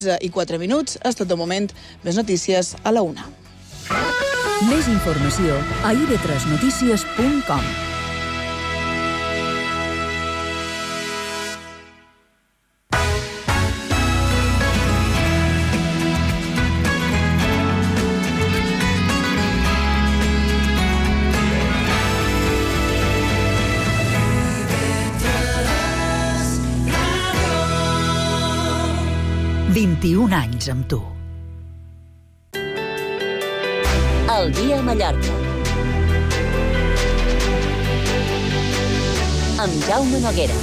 I 4 minuts, és tot de moment. Més notícies a la 1. Més informació a ib3notícies.com. «21 anys amb tu». El dia a Mallorca. Amb Jaume Noguera.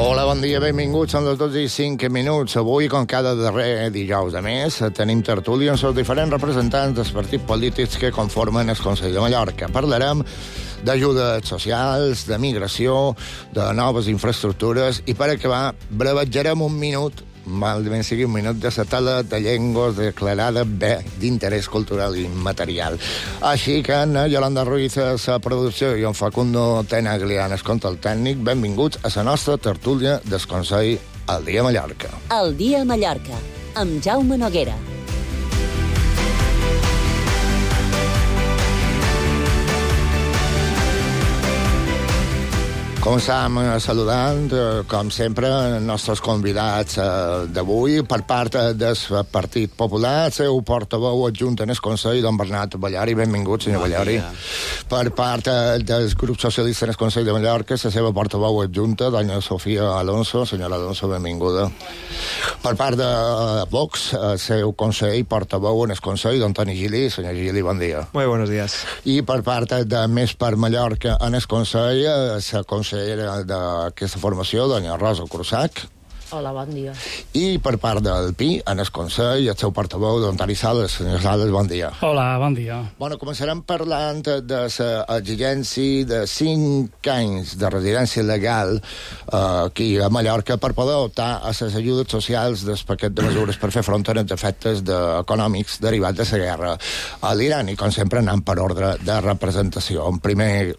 Hola, bon dia, benvinguts. Són les 12:05. Avui, com cada darrer dijous de mes, tenim tertúlia amb els diferents representants dels partits polítics que conformen el Consell de Mallorca. Parlarem d'ajudes socials, de migració, de noves infraestructures i, per acabar, brevetjarem un minut, malament sigui un minut, de la tala de llengües declarada bé d'interès cultural i material. Així que en Yolanda Ruiz a la producció i en Facundo Tenaglian es contra el tècnic, benvinguts a la nostra tertúlia del Consell El dia a Mallorca. El dia a Mallorca, amb Jaume Noguera. Començam saludant, com sempre, els nostres convidats d'avui. Per part del Partit Popular, el seu portaveu adjunt en el Consell, don Bernat Ballari. Benvingut, senyor Ballari. Per part del grup socialista en el Consell de Mallorca, la seva portaveu adjunta, doña Sofia Alonso. Senyora Alonso, benvinguda. Per part de Vox, el seu consell, portaveu en el Consell, don Toni Gili. Senyor Gili, bon dia. Muy buenos días. I per part de Més per Mallorca en el Consell, la consellera d'aquesta formació, doña Rosa Cruzac. Hola, bon dia. I per part del PI, en el Consell, el seu portaveu, don Toni Sales. Senyor Sales, bon dia. Hola, bon dia. Bueno, començarem parlant de l'exigència de 5 anys de residència legal aquí a Mallorca per poder optar a les ajudes socials del paquet de mesures per fer front als efectes econòmics derivats de la guerra a l'Iran. I, com sempre, anant per ordre de representació. En primer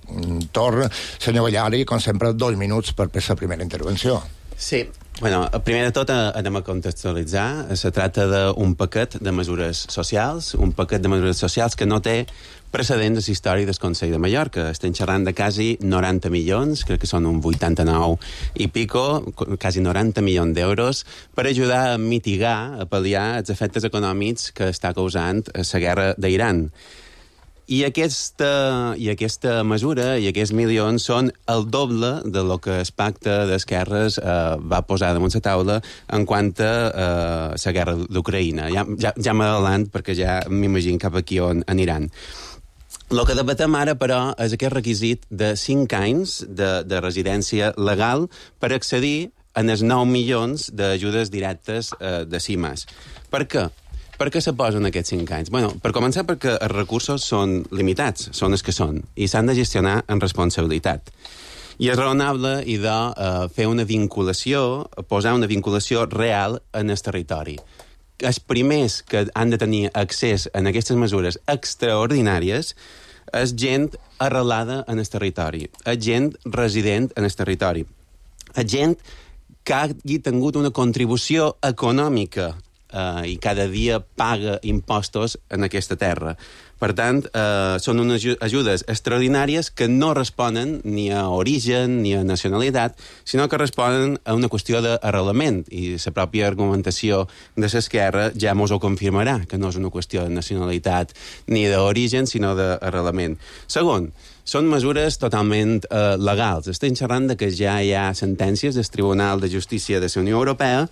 torn, senyor Ballari, com sempre, 2 minuts per fer la primera intervenció. Sí. Bueno, primer de tot anem a contextualitzar. Se tracta d'un paquet de mesures socials, que no té precedents a la història del Consell de Mallorca. Estem xerrant de quasi 90 milions, crec que són un 89 i pico, quasi 90 milions d'euros, per ajudar a mitigar, a pal·liar els efectes econòmics que està causant la guerra d'Iran. I aquesta mesura i aquests milions són el doble de lo que el pacte d'esquerres va posar damunt la taula en quant a la guerra d'Ucraïna. Ja m'adalant perquè ja m'imagino cap aquí on aniran. El que debatem ara, però, és aquest requisit de 5 anys de residència legal per accedir a els 9 milions d'ajudes directes de CIMAS. Per què? Per què se posen aquests 5 anys? Bueno, per començar, perquè els recursos són limitats, són els que són, i s'han de gestionar amb responsabilitat. I és raonable fer una vinculació, posar una vinculació real en el territori. Els primers que han de tenir accés a aquestes mesures extraordinàries és gent arrelada en el territori, és gent resident en el territori, és gent que hagi tingut una contribució econòmica i cada dia paga impostos en aquesta terra. Per tant, són unes ajudes extraordinàries que no responen ni a origen ni a nacionalitat, sinó que responen a una qüestió d'arrelament, i la pròpia argumentació de l'esquerra ja mos ho confirmarà, que no és una qüestió de nacionalitat ni d'origen, sinó d'arrelament. Segon, són mesures totalment legals. Estem xerrant de que ja hi ha sentències del Tribunal de Justícia de la Unió Europea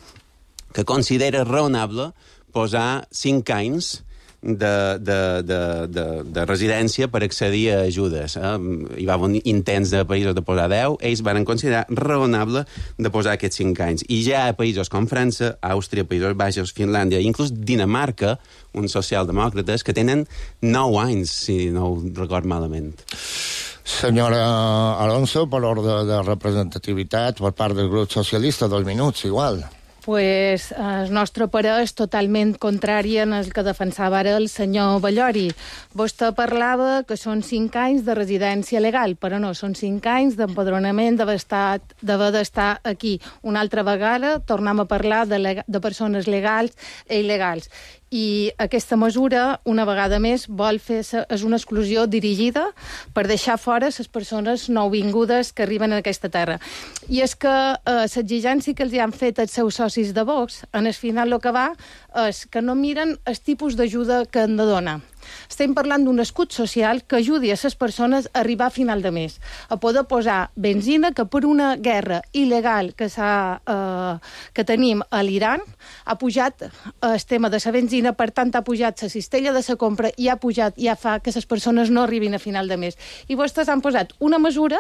que considera raonable posar 5 anys de residència per accedir a ajudes. Hi va haver intents de països de posar 10, ells van considerar raonable de posar aquests 5 anys. I ja a països com França, Àustria, Països Baixos, Finlàndia, inclús Dinamarca, uns socialdemòcrates que tenen 9 anys, si no ho record malament. Senyora Alonso, per ordre de representativitat per part del grup socialista, 2 minuts, igual. Pues el nostre parer és totalment contrari en el que defensava ara el senyor Ballori. Vostè parlava que són 5 anys de residència legal, però no, són 5 anys d'empadronament, d'haver d'estar aquí. Una altra vegada tornem a parlar de persones legals i il·legals. I aquesta mesura, una vegada més, és una exclusió dirigida per deixar fora les persones nouvingudes que arriben a aquesta terra. I és que l'exigència que els han fet els seus socis de Vox, en el final el que va és que no miren el tipus d'ajuda que han de donar. Estem parlant d'un escut social que ajudi a les persones a arribar a final de mes, a poder posar benzina que per una guerra il·legal que tenim a l'Iran ha pujat el tema de la benzina, per tant ha pujat la cistella de la compra i ja fa que les persones no arribin a final de mes. I vostès han posat una mesura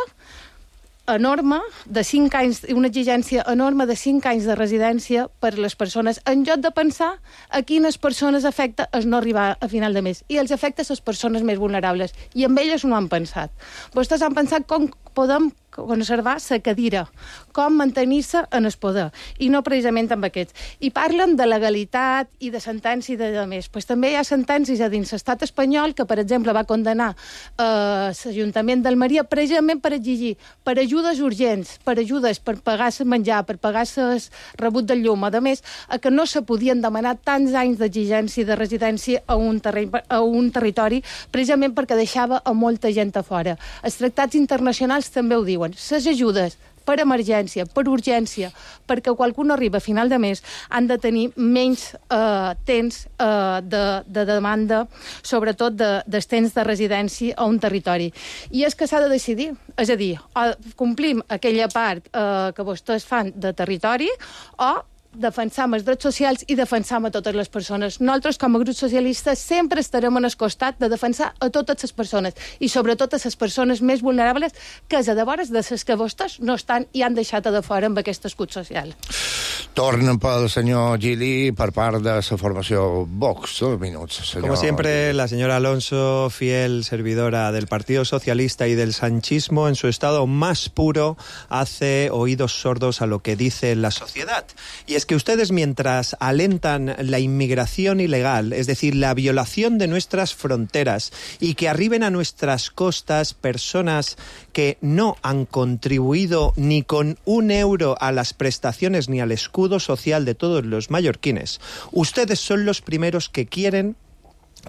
enorme de 5 anys, una exigència enorme de 5 anys de residència per a les persones, en lloc de pensar a quines persones afecta el no arribar a final de mes. I els afecta a les persones més vulnerables. I amb elles no han pensat. Vostès han pensat com podem conservar la cadira, com mantenir-se en el poder, i no precisament amb aquests. I parlen de legalitat i de sentència i de més. Pues també hi ha sentències a dins l'estat espanyol que, per exemple, va condenar l'Ajuntament d'Almeria precisament per exigir per ajudes urgents, per ajudes per pagar el menjar, per pagar el rebut del llum, a més, que no se podien demanar tants anys d'exigència de residència a un territori, precisament perquè deixava a molta gent a fora. Els tractats internacionals també ho diuen. Les ajudes per emergència, per urgència, perquè qualcú no arriba a final de mes, han de tenir menys temps de demanda, sobretot dels temps de residència a un territori. I és que s'ha de decidir. És a dir, complim aquella part que vostès fan de territori o defensam els drets socials i defensam a totes les persones. Nosaltres, com a grup socialista, sempre estarem en el costat de defensar a totes les persones i sobretot a les persones més vulnerables, que és a devores de les que vostès no estan i han deixat a de fora amb aquest escut social. Tornen pel senyor Gili per part de la formació Vox. 2 minuts, senyor. Como siempre, la señora Alonso, fiel servidora del Partido Socialista y del sanchismo, en su estado más puro, hace oídos sordos a lo que dice la sociedad. Y es que ustedes, mientras alentan la inmigración ilegal, es decir, la violación de nuestras fronteras, y que arriben a nuestras costas personas que no han contribuido ni con 1 euro a las prestaciones ni al escudo social de todos los mallorquines, ustedes son los primeros que quieren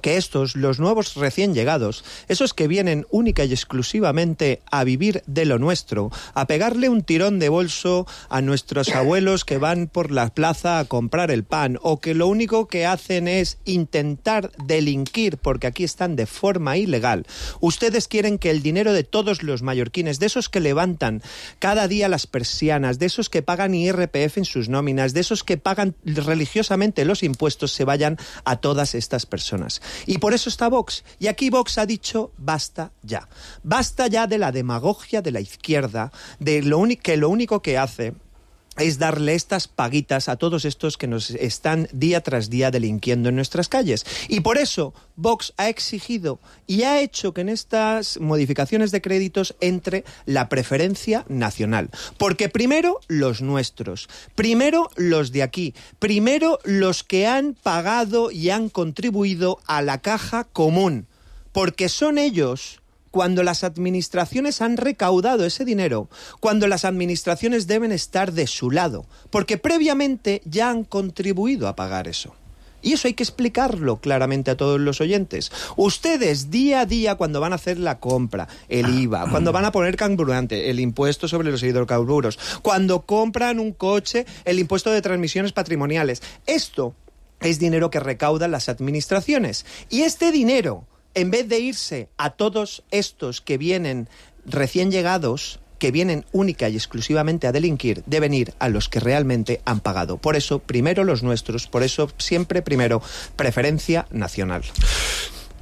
que estos, los nuevos recién llegados, esos que vienen única y exclusivamente a vivir de lo nuestro, a pegarle un tirón de bolso a nuestros abuelos que van por la plaza a comprar el pan, o que lo único que hacen es intentar delinquir porque aquí están de forma ilegal. Ustedes quieren que el dinero de todos los mallorquines, de esos que levantan cada día las persianas, de esos que pagan IRPF en sus nóminas, de esos que pagan religiosamente los impuestos, se vayan a todas estas personas. Y por eso está Vox. Y aquí Vox ha dicho basta ya. Basta ya de la demagogia de la izquierda, de que lo único que hace es darle estas paguitas a todos estos que nos están día tras día delinquiendo en nuestras calles. Y por eso Vox ha exigido y ha hecho que en estas modificaciones de créditos entre la preferencia nacional. Porque primero los nuestros, primero los de aquí, primero los que han pagado y han contribuido a la caja común. Porque son ellos, cuando las administraciones han recaudado ese dinero, cuando las administraciones deben estar de su lado, porque previamente ya han contribuido a pagar eso. Y eso hay que explicarlo claramente a todos los oyentes. Ustedes, día a día, cuando van a hacer la compra, el IVA, cuando van a poner carburante, el impuesto sobre los hidrocarburos, cuando compran un coche, el impuesto de transmisiones patrimoniales, esto es dinero que recaudan las administraciones. Y este dinero, en vez de irse a todos estos que vienen recién llegados, que vienen única y exclusivamente a delinquir, deben ir a los que realmente han pagado. Por eso, primero los nuestros, por eso siempre primero preferència nacional.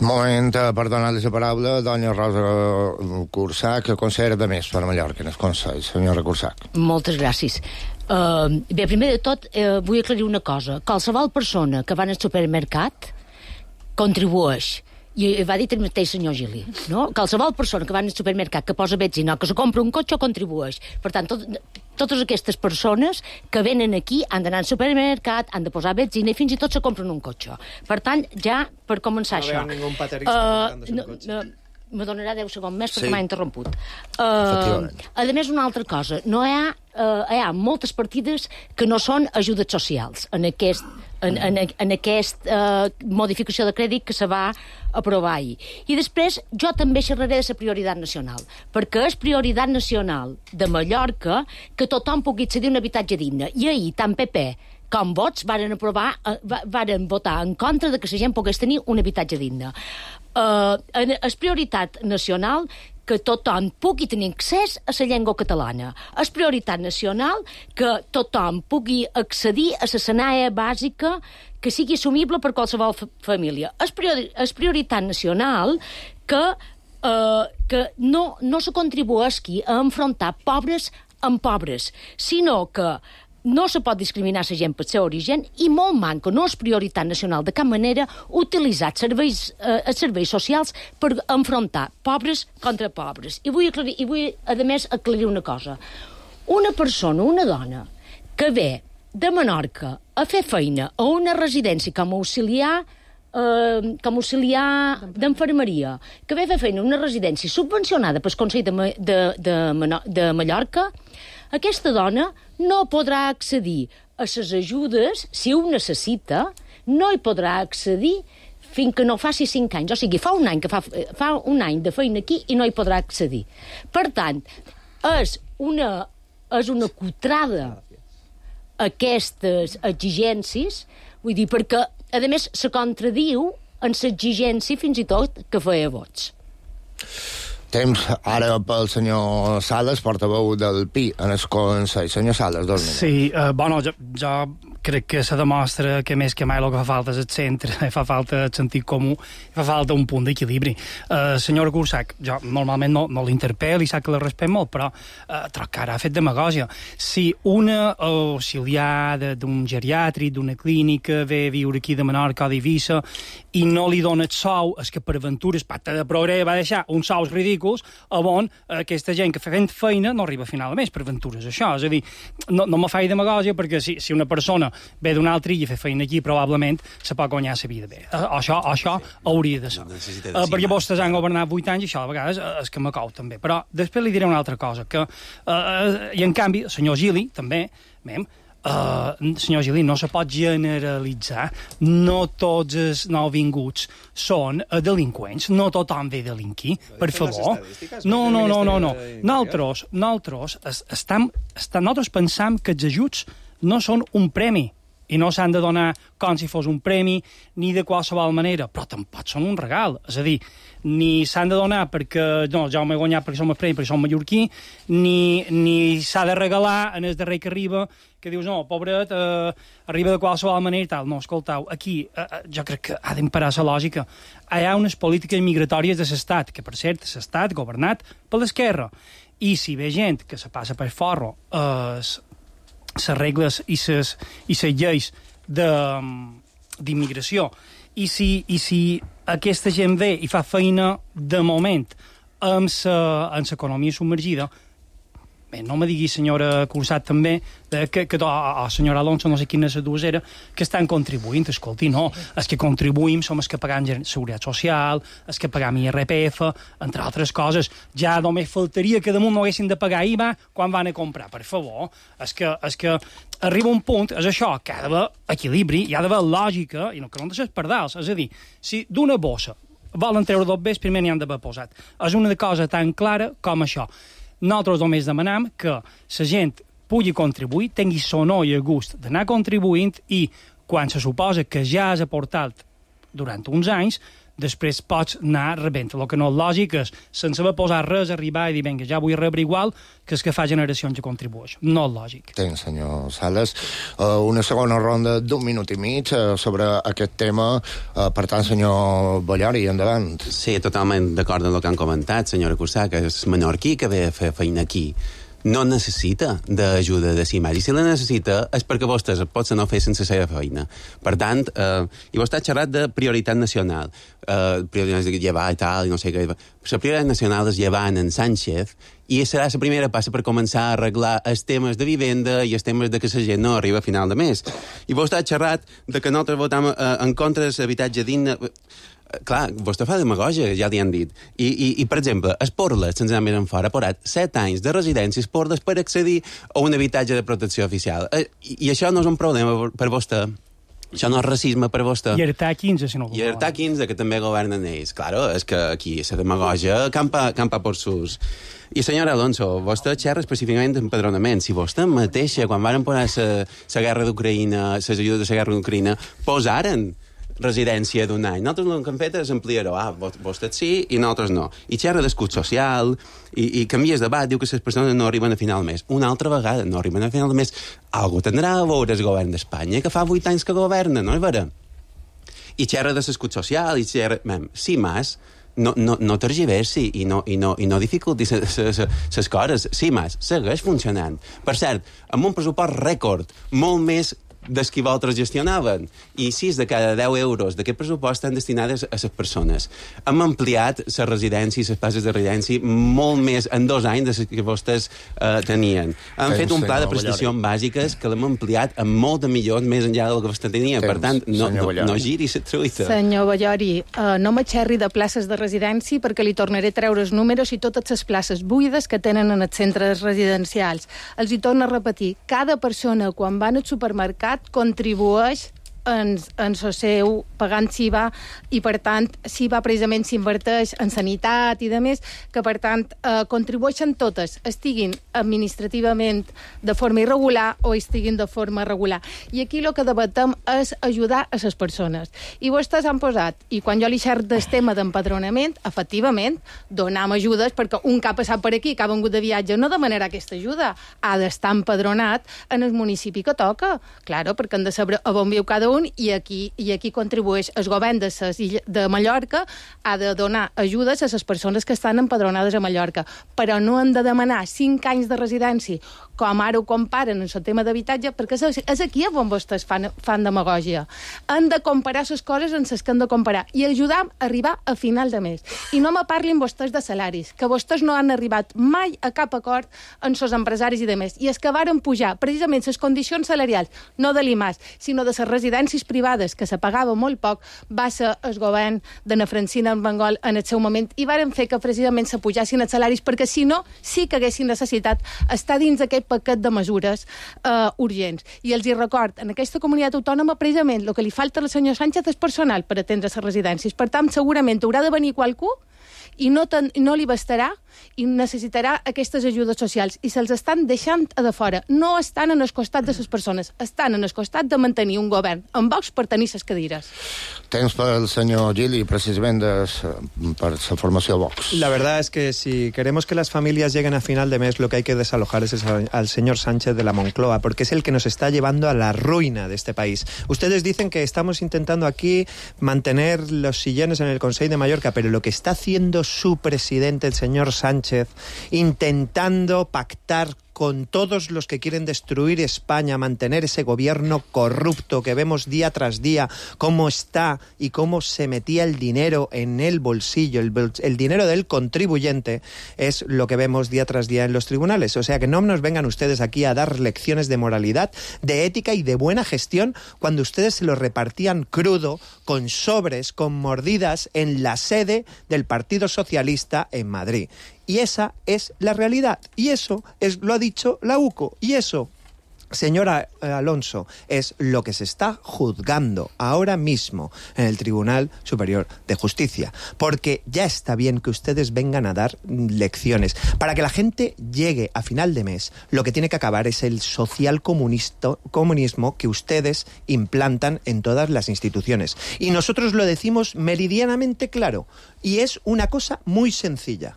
Moment per donar-li la paraula a doña Rosa Cursac, consellera de Més per Mallorca, en el Consell. Senyora Cursac. Moltes gràcies. Bé, primer de tot, vull aclarir una cosa. Qualsevol persona que va al supermercat contribueix. I va dir el mateix senyor Gili, no? Qualsevol persona que va al supermercat, que posa benzina, que se compra un cotxe, contribueix. Per tant, totes aquestes persones que venen aquí han d'anar al supermercat, han de posar benzina i fins i tot se compren un cotxe. Per tant, ja per començar això... No veu ningú paterista comprant-se un cotxe. Me donarà 10 segons més perquè m'ha interromput. Efectivament. A més, una altra cosa. Hi ha moltes partides que no són ajudes socials en aquesta modificació de crèdit que se va aprovar ahir. I després jo també xerraré de la prioritat nacional, perquè és prioritat nacional de Mallorca que tothom pugui accedir a un habitatge digne. I ahir tant PP com Vots varen votar en contra de que la gent pogués tenir un habitatge digne. És prioritat nacional que tothom pugui tenir accés a la llengua catalana. És prioritat nacional que tothom pugui accedir a la sanaia bàsica que sigui assumible per qualsevol família. És prioritat nacional que no se contribueixi a enfrontar pobres amb pobres, sinó que no se pot discriminar la gent per seu origen i molt manca, no és prioritat nacional de cap manera, utilitzar els serveis socials per enfrontar pobres contra pobres. I vull, a més, aclarir una cosa. Una persona, una dona, que ve de Menorca a fer feina a una residència com a auxiliar d'enfermeria, que ve a fer feina a una residència subvencionada pel Consell de Mallorca, aquesta dona no podrà accedir a les ajudes, si ho necessita, no hi podrà accedir fins que no faci 5 anys. O sigui, fa un any de feina aquí i no hi podrà accedir. Per tant, és una cutrada aquestes exigències, vull dir, perquè, a més, se contradiu en l'exigència fins i tot que feia Vots. Temps ara pel senyor Sales, portaveu del PI en el Consell. Senyor Sales, 2 minuts. Sí, bueno, jo crec que se demostra que més que mai el que fa falta és el centre, fa falta el sentit comú, fa falta un punt d'equilibri. Senyora Cursac, jo normalment no l'interpel i sap que la respecto molt, però que ara ha fet demagògia. Si una auxiliar d'un geriàtric, d'una clínica, ve a viure aquí de Menorca o d'Eivissa i no li dona el sou, és que per aventures, Pacte de Progrés va deixar uns sous ridículs on aquesta gent que fent feina no arriba a final de mes per aventures. Això, és a dir, no me faig demagògia perquè si una persona ve d'un altre i a fer feina aquí, probablement se pot guanyar la vida bé. Això hauria de ser. Perquè vostès han governat 8 anys i això a vegades és que m'acou també. Però després li diré una altra cosa, que i en canvi, el senyor Gili, també, senyor Gili, no se pot generalitzar. No tots els nouvinguts són delinqüents, no tothom ve a delinquir, per favor. No. Nosaltres pensam que els ajuts no són un premi i no s'han de donar com si fos un premi ni de qualsevol manera, però tampoc són un regal. És a dir, ni s'han de donar perquè jo m'he guanyat perquè som el premi, perquè som mallorquí, ni s'ha de regalar en el darrer que arriba, que dius, no, pobret, arriba de qualsevol manera i tal. No, escoltau, aquí jo crec que ha d'emparar la lògica. Hi ha unes polítiques migratòries de l'Estat, que per cert, l'Estat governat per l'esquerra. I si ve gent que se passa per forro les regles i les lleis d'immigració, i si aquesta gent ve i fa feina de moment amb l'economia submergida, bé, no me digui, senyora Cursat, també, senyora Alonso, no sé quina és la dues era, que estan contribuint. Escolti, no, els que contribuïm som els que pagam Seguretat Social, els que pagam IRPF, entre altres coses. Ja només faltaria que damunt no haguessin de pagar IVA quan van a comprar, per favor. És que arriba un punt, és això, que ha d'haver equilibri, hi ha d'haver lògica, i no que no deixes pardals. És a dir, si d'una bossa volen treure 2 bes, primer n'hi han d'haver posat. És una cosa tan clara com això. Nosaltres només demanem que la gent pugui contribuir, tingui sonor i el gust d'anar contribuint i quan se suposa que ja has aportat durant uns anys, després pots anar rebent. El que no és lògic és, sense haver posat res, arribar i dir, vinga, ja vull rebre igual que és que fa generacions que contribueix. No és lògic. Tens, senyor Sales. Una segona ronda d'1 minut i mig sobre aquest tema. Per tant, senyor Ballori, endavant. Sí, totalment d'acord amb el que han comentat, senyora Cursà, que és menorquí que ve a fer feina aquí. no necessita d'ajuda de si mateix. I si la necessita és perquè vostès potser no fer sense la seva feina. Per tant, i vostè ha xerrat de prioritat nacional. Prioritat de llevar i tal, i no sé què. La prioritat nacional és llevar en Sánchez i serà la primera passa per començar a arreglar els temes de vivenda i els temes de que la gent no arriba a final de mes. I vostè ha xerrat de que nosaltres votam en contra de l'habitatge digne. Clar, vostè fa demagogia, ja li han dit. I per exemple, Esporles, sense anar més en fora, ha posat 7 anys de residència Esporles per accedir a un habitatge de protecció oficial. I això no és un problema per vostè. Això no és racisme per vostè. I Artà 15, si no vol. I Artà 15, que també governen ells. Claro, és que aquí la demagogia campa por sus... I senyora Alonso, vostè xerra específicament d'empadronament. Si vostè mateixa, quan varen posar la guerra d'Ucraïna, les ajudes de la guerra d'Ucraïna, posaren residència d'un any. Nosaltres el que hem fet és ampliar-ho. Vostè sí i nosaltres no. I xerra d'escut social i canvies de debat, diu que les persones no arriben a final de mes. Una altra vegada no arriben a final de mes. Algú tindrà a veure el govern d'Espanya, que fa 8 anys que governa, no és vera? I xerra de l'escut social, i xerra... Sí, mas, no tergiversi i no dificulti les coses. Sí, mas, segueix funcionant. Per cert, amb un pressupost rècord, molt més dels que vosaltres gestionaven. I 6 de cada 10 euros d'aquest pressupost estan destinades a les persones. Hem ampliat les residències, les places de residència, molt més en 2 anys de les que vostès tenien. Hem fet un pla de prestacions bàsiques que l'hem ampliat amb molt de milions més enllà del que vostè tenia. Per tant, no giri la truita. Senyor Ballori, no m'aixerri de places de residència perquè li tornaré a treure els números i totes les places buides que tenen en els centres residencials. Els hi torno a repetir, cada persona quan van al supermercat contribueix en el seu pagant SIVA i, per tant, SIVA precisament s'inverteix en sanitat i de més, que, per tant, contribueixen totes, estiguin administrativament de forma irregular o estiguin de forma regular. I aquí el que debatem és ajudar a les persones. I vostès han posat, i quan jo li xerro del tema d'empadronament, efectivament, donam ajudes perquè un que ha passat per aquí, que ha vengut de viatge, no demanarà aquesta ajuda, ha d'estar empadronat en el municipi que toca. Claro, perquè han de saber a on viu cada un i aquí contribueix el govern de Mallorca, ha de donar ajudes a les persones que estan empadronades a Mallorca, però no han de demanar 5 anys de residència, com ara ho comparen en el tema d'habitatge, perquè és aquí on vostès fan demagògia. Han de comparar les coses en les que han de comparar i ajudar a arribar a final de mes. I no me parlin vostès de salaris, que vostès no han arribat mai a cap acord amb els empresaris i de més. I és que varen pujar precisament les condicions salarials, no de l'IMAS, sinó de les residències privades, que se pagava molt poc, va ser el govern de Francina Armengol en el seu moment, i varen fer que precisament se pujassin els salaris, perquè si no, sí que haguessin necessitat estar dins aquest paquet de mesures urgents. I els hi record, en aquesta comunitat autònoma, precisament, el que li falta al senyor Sánchez és personal per atendre les residències. Per tant, segurament haurà de venir qualcú i no li bastarà i necessitarà aquestes ajudes socials. I se'ls estan deixant a de fora. No estan en el costat de les persones, estan en el costat de mantenir un govern amb Vox per tenir les cadires. Temps per el senyor Gili, precisament per la formació Vox. La verdad es que si queremos que las familias lleguen a final de mes, lo que hay que desalojar es al señor Sánchez de la Moncloa, porque es el que nos está llevando a la ruina de este país. Ustedes dicen que estamos intentando aquí mantener los sillones en el Consell de Mallorca, pero lo que está haciendo su presidente, el señor Sánchez, intentando pactar con todos los que quieren destruir España, mantener ese gobierno corrupto que vemos día tras día, cómo está y cómo se metía el dinero en el bolsillo, el dinero del contribuyente, es lo que vemos día tras día en los tribunales. O sea que no nos vengan ustedes aquí a dar lecciones de moralidad, de ética y de buena gestión cuando ustedes se lo repartían crudo, con sobres, con mordidas en la sede del Partido Socialista en Madrid. Y esa es la realidad. Y eso lo ha dicho la UCO. Y eso, señora Alonso, es lo que se está juzgando ahora mismo en el Tribunal Superior de Justicia. Porque ya está bien que ustedes vengan a dar lecciones. Para que la gente llegue a final de mes, lo que tiene que acabar es el comunismo que ustedes implantan en todas las instituciones. Y nosotros lo decimos meridianamente claro. Y es una cosa muy sencilla.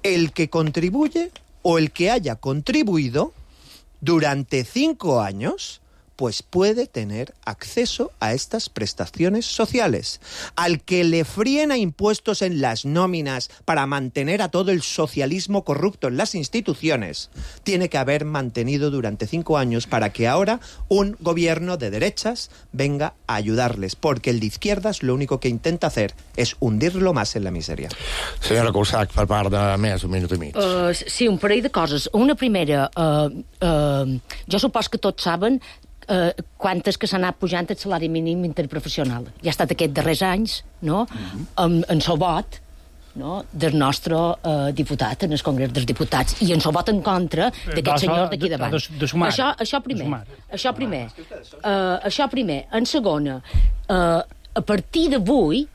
El que contribuye o el que haya contribuido durante 5 años pues puede tener acceso a estas prestaciones sociales. Al que le fríen a impuestos en las nóminas para mantener a todo el socialismo corrupto en las instituciones, tiene que haber mantenido durante 5 años para que ahora un gobierno de derechas venga a ayudarles, porque el de izquierdas lo único que intenta hacer es hundirlo más en la miseria. Senyora Cusack, per part de més, un minut i mig. Sí, un parell de coses. Una primera, jo supos que tots saben quantes que s'ha anat pujant el salari mínim interprofessional. Ja ha estat aquests darrers anys, no? En el vot, no? Del nostre diputat en el Congrés dels Diputats, i en el vot en contra d'aquest senyor d'aquí davant. Això primer. Això primer. En segona, a partir d'avui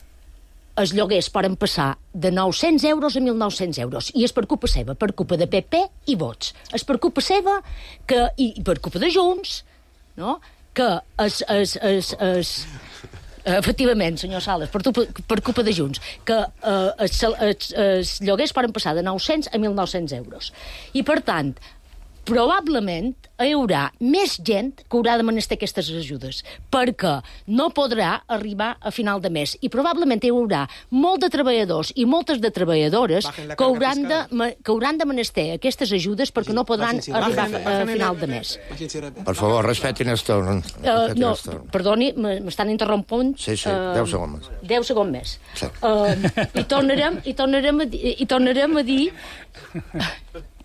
els lloguers poden passar de 900 euros a 1.900 euros. I és per culpa seva, per culpa de PP i Vots. És per culpa seva i per culpa de Junts, no? Que efectivament, senyor Sales, per culpa de Junts, que els lloguers poden passar de 900 a 1.900 euros. I, per tant, probablement hi haurà més gent que haurà de menester aquestes ajudes, perquè no podrà arribar a final de mes. I probablement hi haurà molt de treballadors i moltes de treballadores que hauran de menester aquestes ajudes perquè no podran arribar a final de mes. Per favor, respetin el torn. No, perdoni, m'estan interrompent. Sí, 10 segons més. 10 segons més. I tornarem a dir...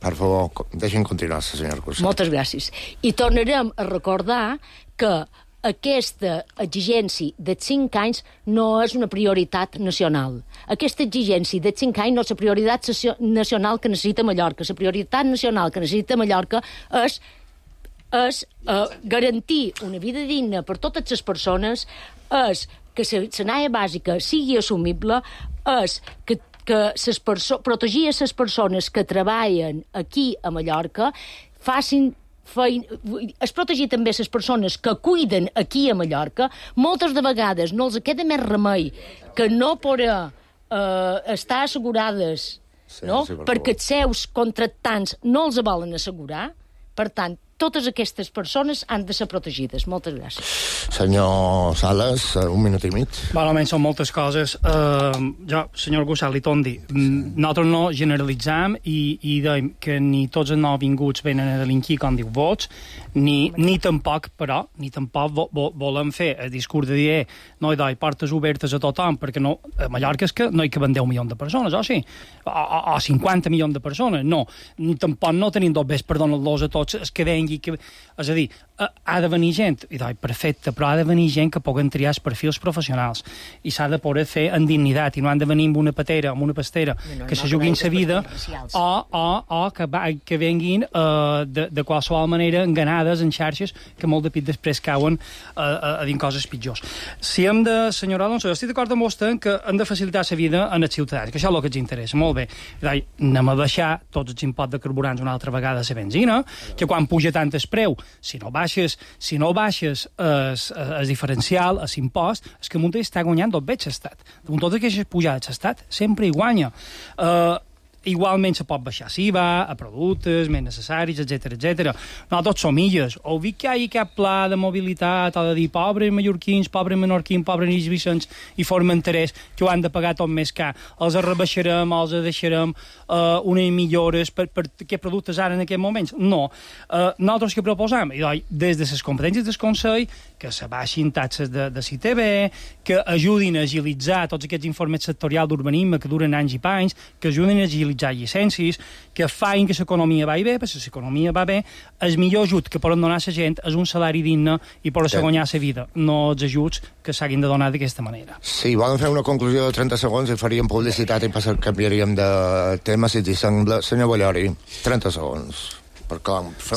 Per favor, deixin continuar, senyor Cusack. Moltes gràcies. I tornarem a recordar que aquesta exigència de 5 anys no és una prioritat nacional. Aquesta exigència de 5 anys no és la prioritat nacional que necessita Mallorca. La prioritat nacional que necessita Mallorca és garantir una vida digna per totes les persones, és que la sanària bàsica sigui assumible, és que protegir les persones que treballen aquí a Mallorca, es protegir també les persones que cuiden aquí a Mallorca. Moltes de vegades no els queda més remei que no poder estar assegurades, no? Perquè els seus contractants no els volen assegurar. Per tant, totes aquestes persones han de ser protegides. Moltes gràcies. Senyor Sales, un minut i mig. Almenys són moltes coses. Jo, senyor Cusack, li torno a dir, nosaltres no generalitzam i dèiem que ni tots els nouvinguts venen a delinquir, com diu Vots, ni tampoc, però, volem fer el discurs de dir no hi doi portes obertes a tothom, perquè no, a Mallorca és que no hi caben 10 milions de persones, o sí? O 50 milions de persones, no. Tampoc no tenim dos bes per donar-los a tots els que vengui. És a dir, ha de venir gent, i doi, perfecte, però ha de venir gent que puguen triar els perfils professionals i s'ha de poder fer en dignitat, i no han de venir amb una patera, amb una pastera, que se juguin sa vida, o que venguin de qualsevol manera enganades en xarxes que molt de pit després cauen a dir coses pitjors. Si hem de, senyor Alonso, jo estic d'acord amb vostè que hem de facilitar la vida als ciutadans, que això és el que ens interessa, molt bé. Anem a baixar tots els imposts de carburants una altra vegada a la benzina, que quan puja tant el preu, si no baixes el diferencial, l'impost, és que Montes està guanyant tot bé l'estat. Amb totes aquestes pujades l'estat sempre hi guanya. Igualment se pot baixar l'IVA a productes més necessaris, etc. No tots som illes. O vi que hi ha cap pla de mobilitat, o de dir pobres mallorquins, pobres menorquins, pobres Vicents i Formenterers, que ho han de pagar tot més car. Els rebaixarem, els deixarem unes millores per què productes ara en aquest moment? No. Nosaltres que proposam? Des de les competències del Consell, que se baixin taxes de CITB, que ajudin a agilitzar tots aquests informes sectorials d'urbanisme que duren anys i panys, que ajudin a agilitzar llicències, que fan que l'economia va bé, perquè si l'economia va bé, el millor ajut que poden donar a la gent és un salari digne i poder guanyar la vida, no els ajuts que s'hagin de donar d'aquesta manera. Sí, volen fer una conclusió de 30 segons i faríem publicitat i canviaríem de tema, si t'hi sembla. Senyor Ballori, 30 segons.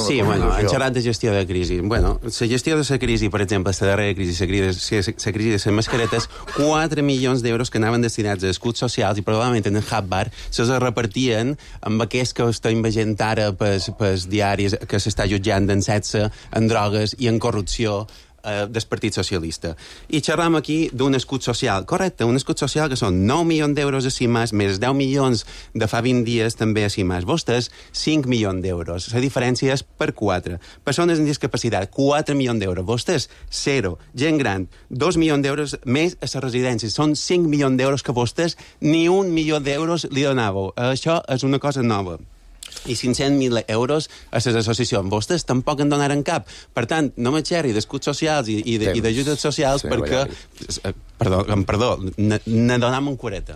Sí, han xerrat de gestió de crisi. La gestió de la crisi, per exemple, la darrera crisi, la crisi de les mascaretes, 4 milions d'euros que anaven destinats a escuts socials i probablement en el Hub-Bar se repartien amb aquest que estem veient ara pels diaris que s'està jutjant en sexe, en drogues i en corrupció del Partit Socialista. I xerram aquí d'un escut social. Correcte, un escut social que són 9 milions d'euros a CIMAS, més 10 milions de fa 20 dies també a CIMAS. Vostès, 5 milions d'euros. La diferència és per 4. Persones amb discapacitat, 4 milions d'euros. Vostès, 0. Gent gran, 2 milions d'euros més a les residències. Són 5 milions d'euros que vostès ni 1 milió d'euros li donàveu. Això és una cosa nova. I 500.000 euros a les associacions. Vostès tampoc en donaren cap. Per tant, no me xerri d'escuts socials i d'ajudes socials perquè... Perdó, ne donam un cureta.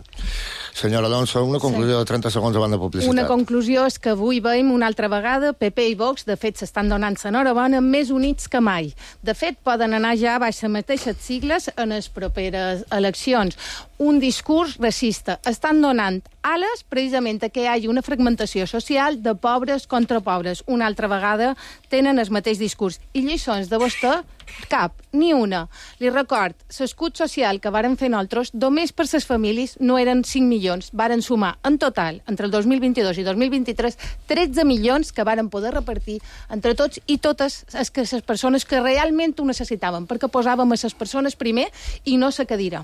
Senyora Alonso, una conclusió de 30 segons abans de publicitat. Una conclusió és que avui veiem una altra vegada PP i Vox, de fet, s'estan donant l'enhorabona més units que mai. De fet, poden anar ja baix les mateixes sigles en les properes eleccions. Un discurs racista. Estan donant ales precisament a que hi hagi una fragmentació social de pobres contra pobres. Una altra vegada tenen el mateix discurs. I lliçons de vostè, cap, ni una. Li record, l'escut social que varen fer nosaltres, només per les famílies no eren 5 milions, varen sumar en total, entre el 2022 i 2023, 13 milions que varen poder repartir entre tots i totes les persones que realment ho necessitaven, perquè posàvem a les persones primer i no la cadira.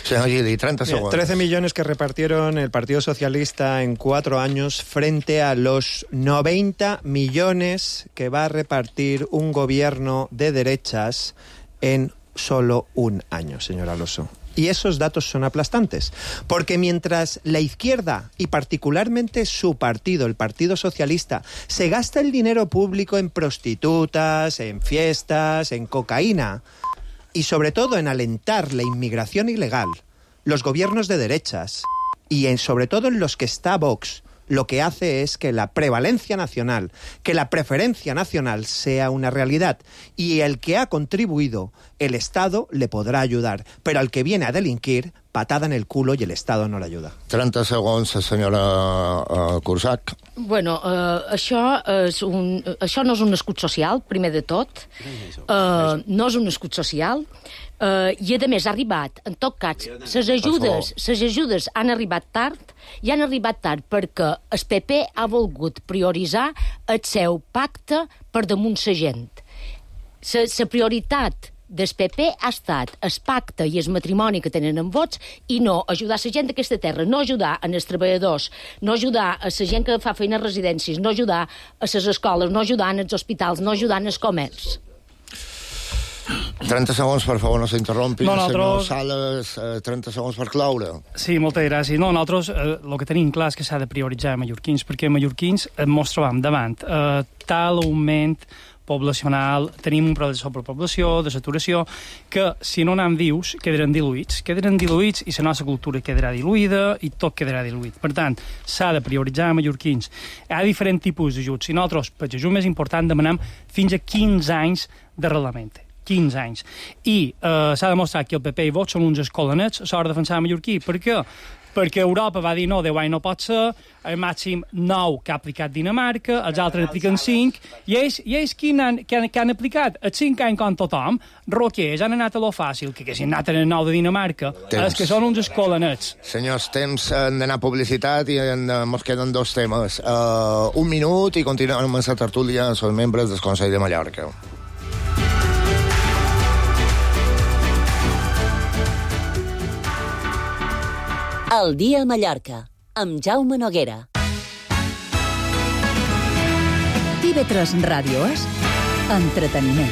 Señor Gili, 30 segundos. 13 millones que repartieron el Partido Socialista en 4 años frente a los 90 millones que va a repartir un gobierno de derechas en solo un año, señor Alonso. Y esos datos son aplastantes, porque mientras la izquierda, y particularmente su partido, el Partido Socialista, se gasta el dinero público en prostitutas, en fiestas, en cocaína, y sobre todo en alentar la inmigración ilegal, los gobiernos de derechas, y sobre todo en los que está Vox, lo que hace es que la prevalencia nacional, que la preferencia nacional sea una realidad. Y el que ha contribuido, el Estado le podrá ayudar. Pero al que viene a delinquir, patada en el culo y el Estado no le ayuda. 30 segons, senyora Cursach. Bueno, això no és un escut social, primer de tot. No és un escut social. I, a més, ha arribat, en tot cas, les ajudes han arribat tard, i han arribat tard perquè el PP ha volgut prioritzar el seu pacte per damunt la gent. La prioritat del PP ha estat el pacte i el matrimoni que tenen amb vots i no ajudar la gent d'aquesta terra, no ajudar els treballadors, no ajudar a la gent que fa feina a residències, no ajudar a les escoles, no ajudar als hospitals, no ajudar als comerç. 30 segons, per favor, no s'interrompi. No, senyor Sales, 30 segons per cloure. Sí, moltes gràcies. No, nosaltres el que tenim clar és que s'ha de prioritzar a mallorquins, perquè a mallorquins ens trobam davant tal augment poblacional, tenim un problema de sobrepoblació, de saturació, que si no anem vius quedaran diluïts i la nostra cultura quedarà diluïda i tot quedarà diluït. Per tant, s'ha de prioritzar a mallorquins. Hi ha diferents tipus d'ajuts. Si nosaltres, per l'ajut més important, demanem fins a 15 anys d'arrelament. 15 anys. I s'ha demostrat que el PP i Vox són uns escolanets a l'hora de defensar mallorquí. Per què? Perquè Europa va dir no, 10 anys no pot ser, el màxim 9 que ha aplicat Dinamarca, els altres apliquen 5, i ells que han aplicat els 5 anys com tothom, roquers, han anat a lo fàcil, que si han anat en el 9 de Dinamarca, els que són uns escolanets. Senyors, temps d'anar a publicitat i ens queden 2 temes. Un minut i continuem amb la tertúlia amb els membres del Consell de Mallorca. El dia a Mallorca, amb Jaume Noguera. TV3 Ràdio és entreteniment.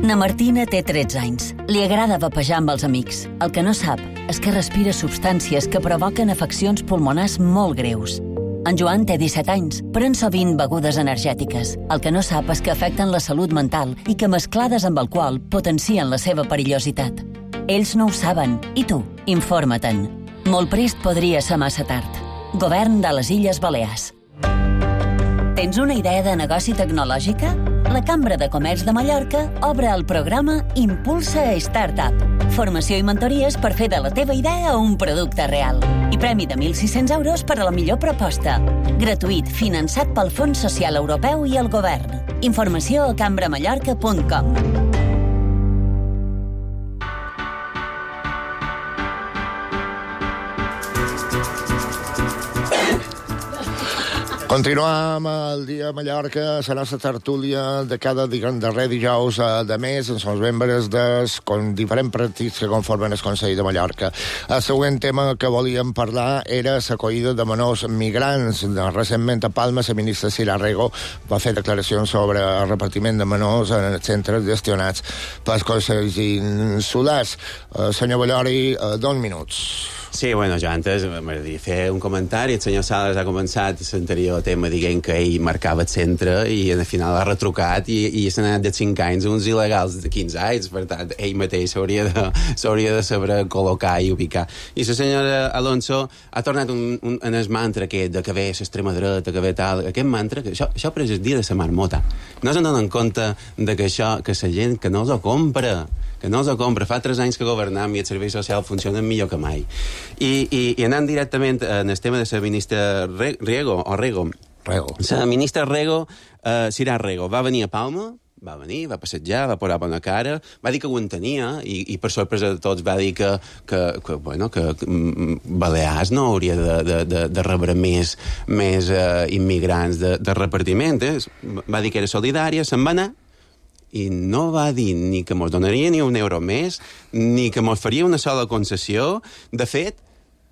Na Martina té 13 anys. Li agrada vapejar amb els amics. El que no sap és que respira substàncies que provoquen afeccions pulmonars molt greus. En Joan té 17 anys, pren sovint begudes energètiques. El que no sap és que afecten la salut mental i que mesclades amb alcohol potencien la seva perillositat. Ells no ho saben, i tu, informa-te'n. Molt prest podria ser massa tard. Govern de les Illes Balears. Tens una idea de negoci tecnològica? La Cambra de Comerç de Mallorca obre el programa Impulsa Startup. Formació i mentories per fer de la teva idea un producte real. I premi de 1.600 euros per a la millor proposta. Gratuït, finançat pel Fons Social Europeu i el Govern. Informació a cambramallorca.com. Continuam el dia a Mallorca, la nostra tertúlia de cada darrer dijous de mes, amb els membres dels diferents partits que conformen el Consell de Mallorca. El següent tema que volíem parlar era l'acollida de menors migrants. Recentment a Palma, la ministra Sira Rego va fer declaracions sobre el repartiment de menors en els centres gestionats pels consells insulars. Senyor Ballori, 2 minuts. Sí, bueno, jo antes m'agradaria fer un comentari. El senyor Sales ha començat l'anterior tema dient que ell marcava el centre i al final ha retrucat i s'ha anat de 5 anys uns il·legals de 15 anys. Per tant, ell mateix s'hauria de saber col·locar i ubicar. I la senyora Alonso ha tornat en el mantra aquest de que ve l'extrema dreta, que ve tal... Aquest mantra, que això per el dia de la marmota. No se'n donen compte de que això, que la gent que no els ho compra, fa 3 anys que governam i el servei social funciona millor que mai. I anant directament en el tema de la ministra Rego. La ministra Rego, Sira Rego, va venir a Palma, va passejar, va posar bona cara, va dir que ho entenia i per sorpresa de tots va dir que Balears no hauria de rebre més immigrants de repartiment. Va dir que era solidària, se'n va anar i no va dir ni que mos donaria ni un euro més, ni que mos faria una sola concessió. De fet,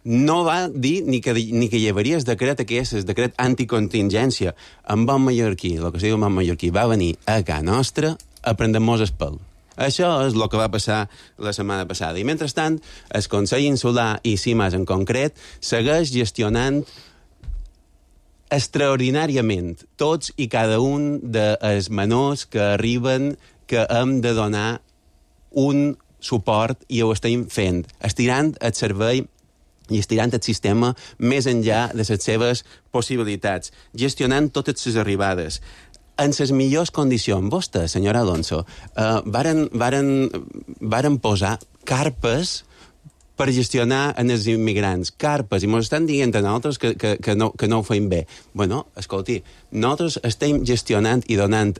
no va dir ni que hi hauria el decret aquest, el decret anticontingència. En bon mallorquí, el que se diu en bon mallorquí, va venir a casa nostra a prendre-mos el pèl. Això és el que va passar la setmana passada. I mentrestant, el Consell Insular i CIMAS en concret segueix gestionant extraordinàriament tots i cada un dels menors que arriben, que hem de donar un suport i ho estem fent, estirant el servei i estirant el sistema més enllà de les seves possibilitats, gestionant totes les arribades en les millors condicions. Vostè, senyora Alonso, varen posar carpes per gestionar en els immigrants, carpes, i ens estan dient a nosaltres que no ho feim bé. Bueno, escolti, nosaltres estem gestionant i donant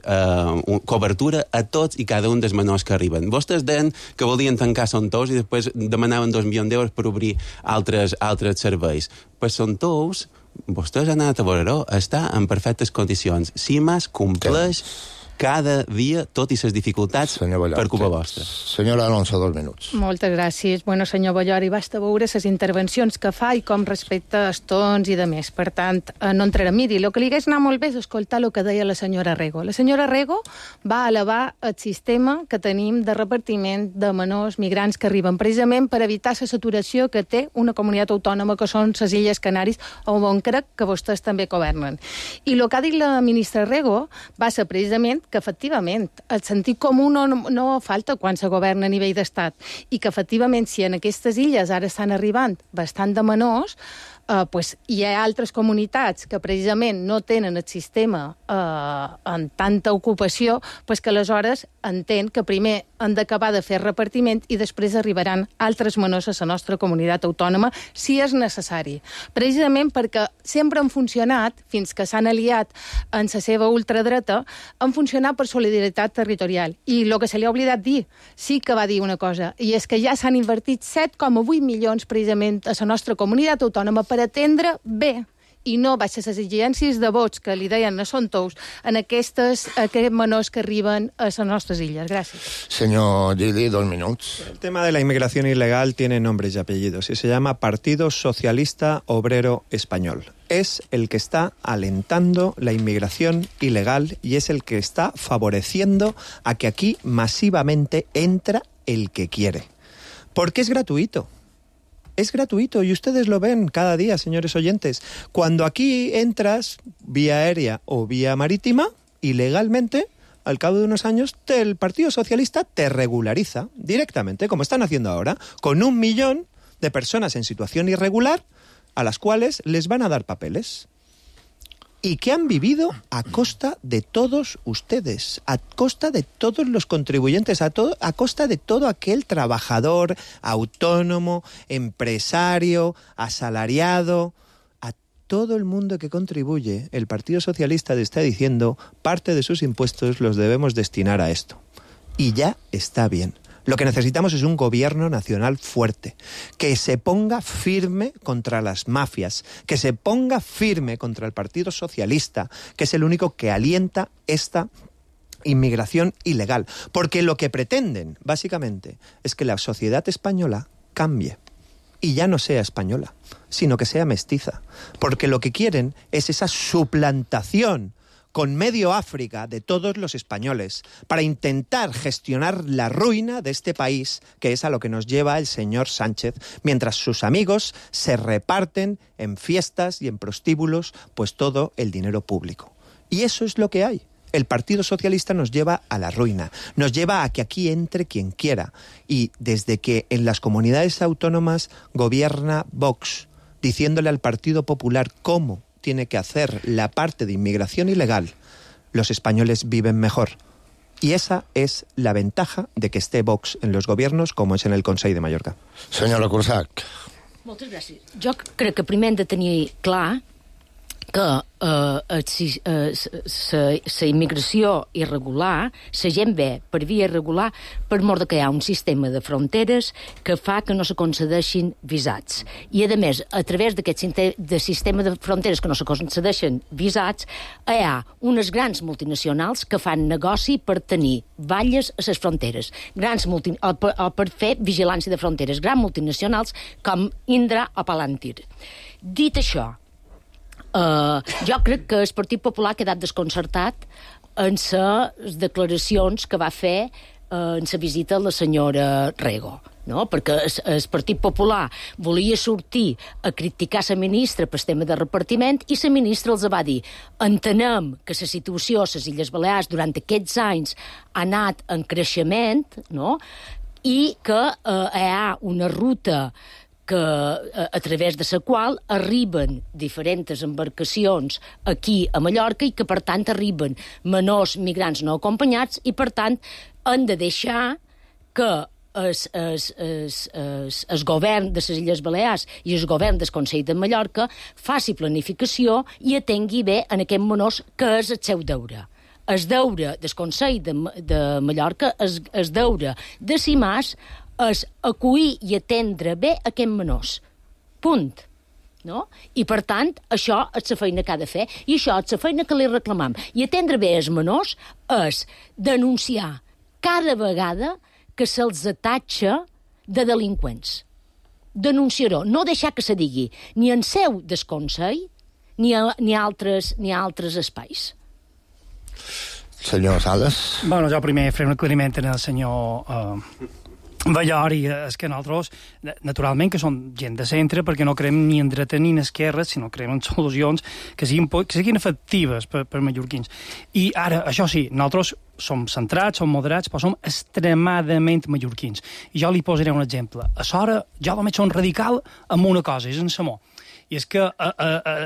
cobertura a tots i cada un dels menors que arriben. Vostès deien que volien tancar Son Tous i després demanaven 2 milions d'euros per obrir altres serveis. Pues Son Tous, vostès han anat a veure-ho, està en perfectes condicions. CIMAS compleix cada dia, tot i les dificultats per culpa vostra. Senyora Alonso, 2 minuts. Moltes gràcies. Bueno, senyor Ballori, basta veure les intervencions que fa i com respecta els tons i de més. Per tant, no entrarem. Miri, el que li hagués anat molt bé és escoltar el que deia la senyora Rego. La senyora Rego va elevar el sistema que tenim de repartiment de menors migrants que arriben, precisament per evitar la saturació que té una comunitat autònoma que són les Illes Canàries, on crec que vostès també governen. I el que ha dit la ministra Rego va ser precisament que efectivament el sentit comú no falta quan se governa a nivell d'estat i que efectivament si en aquestes illes ara estan arribant bastant de menors, pues, hi ha altres comunitats que precisament no tenen el sistema en tanta ocupació, pues que aleshores entén que primer han d'acabar de fer repartiment i després arribaran altres menors a la nostra comunitat autònoma si és necessari. Precisament perquè sempre han funcionat, fins que s'han aliat en la seva ultradreta, han funcionat per solidaritat territorial. I el que se li ha oblidat dir, sí que va dir una cosa, i és que ja s'han invertit 7,8 milions precisament a la nostra comunitat autònoma per atendre bé i no baixes les exigències de vots que li deien a Son Tous en aquests menors que arriben a les nostres illes. Gràcies. Señor Gili, 2 minutos. El tema de la inmigración ilegal tiene nombres y apellidos y se llama Partido Socialista Obrero Español. Es el que está alentando la inmigración ilegal y es el que está favoreciendo a que aquí masivamente entra el que quiere. Porque es gratuito. Es gratuito y ustedes lo ven cada día, señores oyentes. Cuando aquí entras vía aérea o vía marítima, ilegalmente, al cabo de unos años, el Partido Socialista te regulariza directamente, como están haciendo ahora, con 1 millón de personas en situación irregular a las cuales les van a dar papeles. Y que han vivido a costa de todos ustedes, a costa de todos los contribuyentes, a costa de todo aquel trabajador, autónomo, empresario, asalariado, a todo el mundo que contribuye. El Partido Socialista le está diciendo parte de sus impuestos los debemos destinar a esto. Y ya está bien. Lo que necesitamos es un gobierno nacional fuerte, que se ponga firme contra las mafias, que se ponga firme contra el Partido Socialista, que es el único que alienta esta inmigración ilegal. Porque lo que pretenden, básicamente, es que la sociedad española cambie y ya no sea española, sino que sea mestiza. Porque lo que quieren es esa suplantación con medio África de todos los españoles para intentar gestionar la ruina de este país, que es a lo que nos lleva el señor Sánchez, mientras sus amigos se reparten en fiestas y en prostíbulos pues todo el dinero público. Y eso es lo que hay. El Partido Socialista nos lleva a la ruina, nos lleva a que aquí entre quien quiera. Y desde que en las comunidades autónomas gobierna Vox, diciéndole al Partido Popular cómo tiene que hacer la parte de inmigración ilegal, los españoles viven mejor. Y esa és la ventaja de que esté Vox en los gobiernos, com és en el Consell de Mallorca. Senyora Cursac. Moltes gràcies. Jo crec que primer hem de tenir clar que la immigració irregular, la gent ve per via irregular per mort que hi ha un sistema de fronteres que fa que no se concedeixin visats. I, a més, a través d'aquest sistema de fronteres que no se concedeixen visats, hi ha unes grans multinacionals que fan negoci per tenir valles a les fronteres, o per fer vigilància de fronteres, grans multinacionals com Indra o Palantir. Dit això, jo crec que el Partit Popular ha quedat desconcertat en les declaracions que va fer en la visita a la senyora Rego, no? Perquè el Partit Popular volia sortir a criticar la ministra pel tema de repartiment i la ministra els va dir: entenem que la situació a les Illes Balears durant aquests anys ha anat en creixement, no? I que hi ha una ruta a través de la qual arriben diferents embarcacions aquí a Mallorca i que, per tant, arriben menors migrants no acompanyats i, per tant, han de deixar que el govern de les Illes Balears i el govern del Consell de Mallorca faci planificació i atengui bé en aquests menors, que és el seu deure. El deure del Consell de Mallorca, el deure de CIMAS, és acollir i atendre bé aquests menors. Punt. No? I, per tant, això és la feina que ha de fer i això és la feina que li reclamam. I atendre bé els menors és denunciar cada vegada que se'ls atatxa de delinqüents. Denunciar-ho, no deixar que se digui ni en seu del Consell ni a altres espais. Senyor Sales. Bueno, jo primer faré un aclariment en el senyor Ballori. És que nosaltres, naturalment, que som gent de centre, perquè no creiem ni en dreta ni en esquerra, sinó creiem en solucions que siguin efectives per mallorquins. I ara, això sí, nosaltres som centrats, som moderats, però som extremadament mallorquins. I jo li posaré un exemple. A l'hora, jo només som radical amb una cosa, és en Samó. I és que,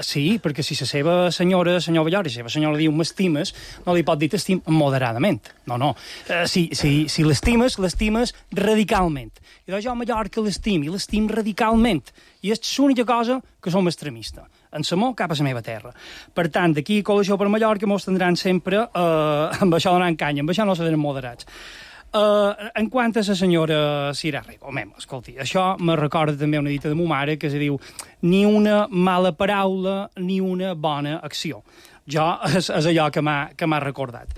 sí, perquè si la seva senyora, senyor Ballori, la seva senyora diu m'estimes, no li pot dir t'estim moderadament. No. Si l'estimes, l'estimes radicalment. I doncs jo a Mallorca l'estim, i l'estim radicalment. I és l'única cosa que som extremistes. En Samó, cap a la meva terra. Per tant, d'aquí Coalició per Mallorca mos tindran sempre amb això donant canya, amb això no serem moderats. En quant a la senyora Sira Rego, escolti, això me recorda també una dita de ma mare que se diu ni una mala paraula ni una bona acció. És allò que m'ha recordat.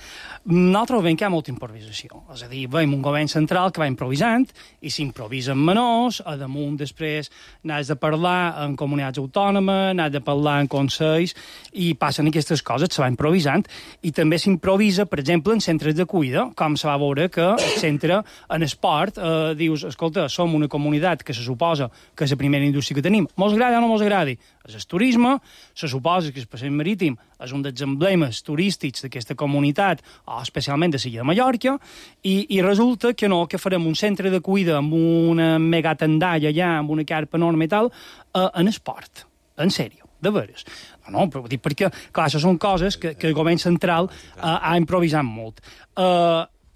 Nosaltres veiem que hi ha molta improvisació. És a dir, veiem un govern central que va improvisant i s'improvisa en menors, a damunt després n'has de parlar en comunitats autònomes, n'has de parlar en consells i passen aquestes coses, se va improvisant i també s'improvisa, per exemple, en centres de cuida, com se va veure que el centre en esport dius, escolta, som una comunitat que se suposa que és la primera indústria que tenim. Mos agrada o no mos agradi? És el turisme, se suposa que el passeig marítim és un dels emblemes turístics d'aquesta comunitat, o especialment de l'illa de Mallorca, i resulta que no, que farem un centre de cuida amb una megatendalla allà, amb una carpa enorme i tal, en esport. En sèrio, de veres. No, però dic perquè, clar, això són coses que el govern central ha improvisat molt.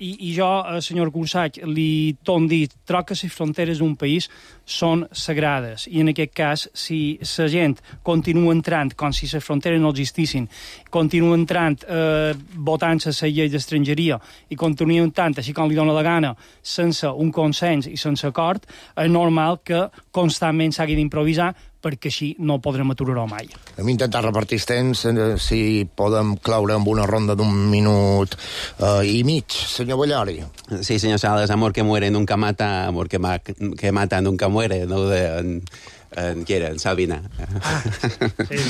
I jo, senyor Cusack, li torno a dir, troc que les fronteres d'un país són sagrades, i en aquest cas, si la gent continua entrant com si les fronteres no existissin, continua entrant votant la llei d'estrangeria i continua entrant així com li dóna la gana, sense un consens i sense acord, és normal que constantment s'hagi d'improvisar, perquè així no podrem aturar-ho mai. Hem intentat repartir els temps, si podem cloure amb una ronda d'un minut i mig, senyor Ballori. Sí, senyor Salas, amor que muere nunca mata, amor que mata nunca muere, no de en Sabina. Sí.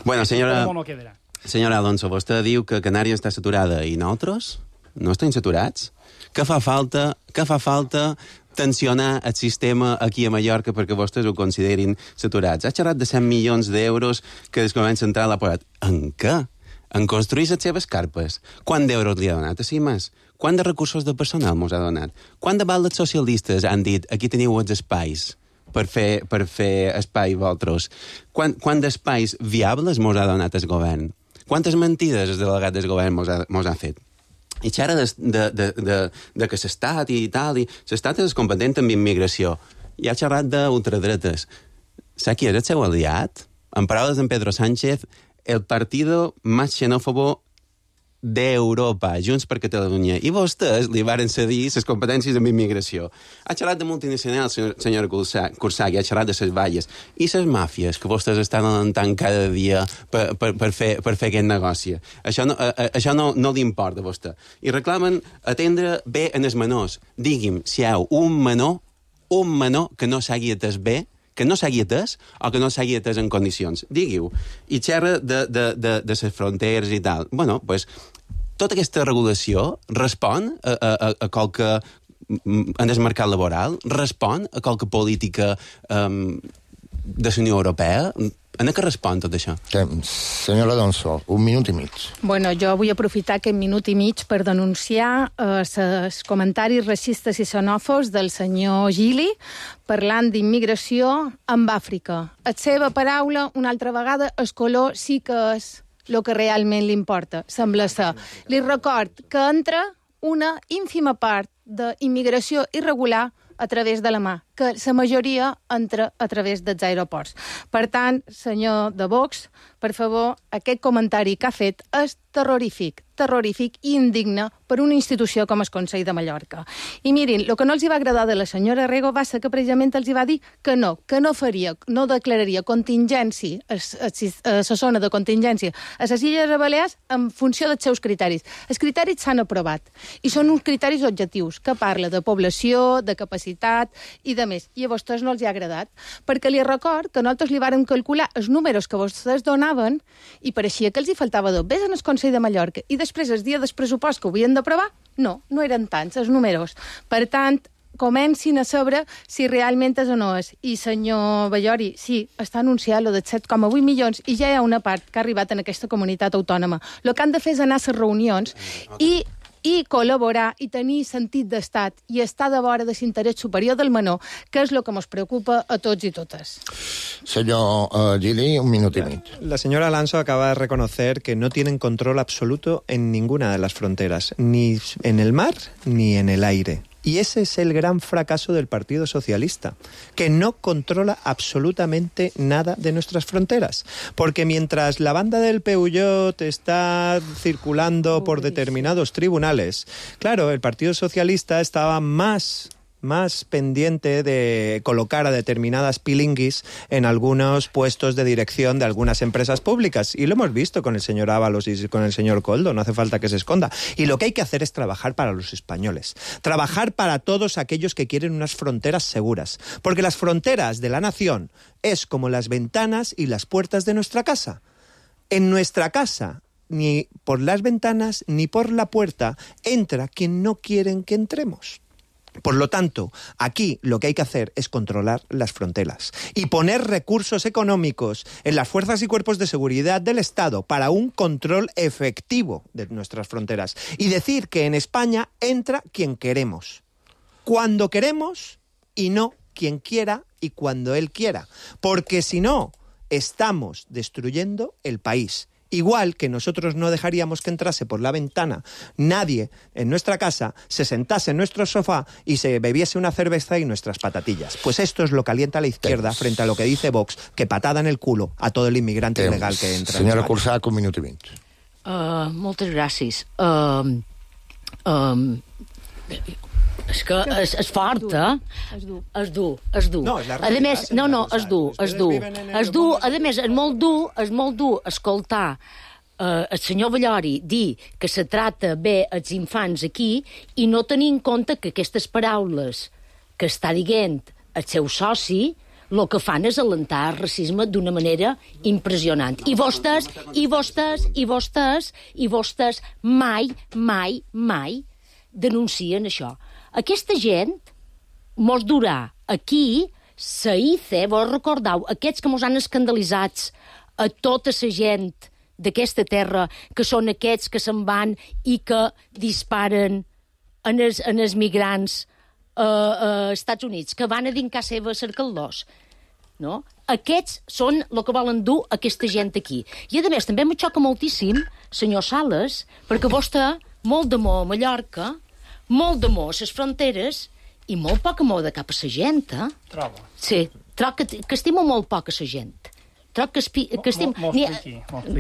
Bueno, senyora Alonso, vostè diu que Canàries està saturada i nosaltres no estem saturats? Què fa falta tensionar el sistema aquí a Mallorca perquè vostès ho considerin saturats? Ha xerrat de 100 milions d'euros que el govern central ha posat. En què? En construir les seves carpes. Quant d'euros li ha donat a CIMAS? Quant de recursos de personal mos ha donat? Quant de vegades els socialistes han dit aquí teniu els espais per fer espai vosaltres? Quant d'espais viables mos ha donat el govern? Quantes mentides el delegat del govern mos ha fet? I xerra de que s'estat i tal, i s'estat és competent en immigració. I ha xerrat d'ultradretes. Sap qui és el seu aliat? En paraules d'en Pedro Sánchez, el partido más xenófobo d'Europa, Junts per Catalunya. I vostès li varen cedir les competències en immigració. Ha xerrat de multinacionals, senyora Cusack, ha xerrat de les valles. I les màfies que vostès estan alentant cada dia per fer aquest negoci. Això no li importa a vostè. I reclamen atendre bé en els menors. Digui'm si hi ha un menor que no s'hagi atès bé, que no s'hagi atès o que no s'hagi atès en condicions. Digui-ho. I xerra de les fronteres i tal. Bueno, doncs, tota aquesta regulació respon a qualque en el mercat laboral, respon a qualque política de la Unió Europea. En què respon tot això? Senyora Alonso, un minut i mig. Bueno, jo vull aprofitar aquest minut i mig per denunciar els comentaris racistes i xenòfobs del senyor Gili parlant d'immigració amb Àfrica. La seva paraula, una altra vegada, el color sí que és el que realment li importa, sembla ser. Li record que entra una ínfima part d'immigració irregular a través de la mà, que la majoria entra a través dels aeroports. Per tant, senyor de Vox, per favor, aquest comentari que ha fet és terrorífic i indigne per una institució com el Consell de Mallorca. I mirin, el que no els va agradar de la senyora Rego va ser que precisament els va dir que no declararia contingència, la zona de contingència a les Illes Balears en funció dels seus criteris. Els criteris s'han aprovat i són uns criteris objectius que parla de població, de capacitat i de més. I a vostès no els ha agradat, perquè li record que nosaltres li vàrem calcular els números que vostès donaven i pareixia que els hi faltava 2 veces en el Consell de Mallorca i després, el dia del pressupost que ho havien d'aprovar, no eren tants els números. Per tant, comencin a saber si realment és o no és. I, senyor Ballori, sí, està anunciat lo de 7,8 milions i ja hi ha una part que ha arribat en aquesta comunitat autònoma. El que han de fer és anar a les reunions i col·laborar i tenir sentit d'estat i estar de vora de l'interès superior del menor, que és el que ens preocupa a tots i totes. Señor Gili, un minut y medio. La señora Alonso acaba de reconocer que no tienen control absoluto en ninguna de las fronteras, ni en el mar ni en el aire. Y ese es el gran fracaso del Partido Socialista, que no controla absolutamente nada de nuestras fronteras. Porque mientras la banda del Peugeot está circulando por determinados tribunales, claro, el Partido Socialista estaba más pendiente de colocar a determinadas pilinguis en algunos puestos de dirección de algunas empresas públicas. Y lo hemos visto con el señor Ábalos y con el señor Koldo, no hace falta que se esconda. Y lo que hay que hacer es trabajar para los españoles. Trabajar para todos aquellos que quieren unas fronteras seguras. Porque las fronteras de la nación es como las ventanas y las puertas de nuestra casa. En nuestra casa, ni por las ventanas ni por la puerta, entra quien no quieren que entremos. Por lo tanto, aquí lo que hay que hacer es controlar las fronteras y poner recursos económicos en las fuerzas y cuerpos de seguridad del Estado para un control efectivo de nuestras fronteras y decir que en España entra quien queremos, cuando queremos y no quien quiera y cuando él quiera, porque si no, estamos destruyendo el país Igual que nosotros no dejaríamos que entrase por la ventana nadie en nuestra casa, se sentase en nuestro sofá y se bebiese una cerveza y nuestras patatillas. Pues esto es lo que alienta a la izquierda frente a lo que dice Vox, que patada en el culo a todo el inmigrante ilegal que entra. Senyora Cursach, 1 minut i mig. Moltes gràcies. És que és fort, És dur. No, és la a més, és dur. A més, és molt dur escoltar el senyor Ballori dir que se trata bé els infants aquí i no tenir en compte que aquestes paraules que està dient el seu soci el que fan és alentar el racisme d'una manera impressionant. I vostès mai denuncien això. Aquesta gent mos durà aquí, sa ICE, vos recordeu, aquests que mos han escandalitzats a tota la gent d'aquesta terra, que són aquests que se'n van i que disparen en els migrants als Estats Units, que van a dir en casa seva a cercar-los. No? Aquests són el que volen dur aquesta gent aquí. I, a més, també me xoca moltíssim, senyor Sales, perquè vostè molt d'amor a Mallorca, molt d'amor a les fronteres i molt poc amor de cap a la gent, Trobo. Sí, trobo que estimo molt poc a la gent. Trobo que estimo...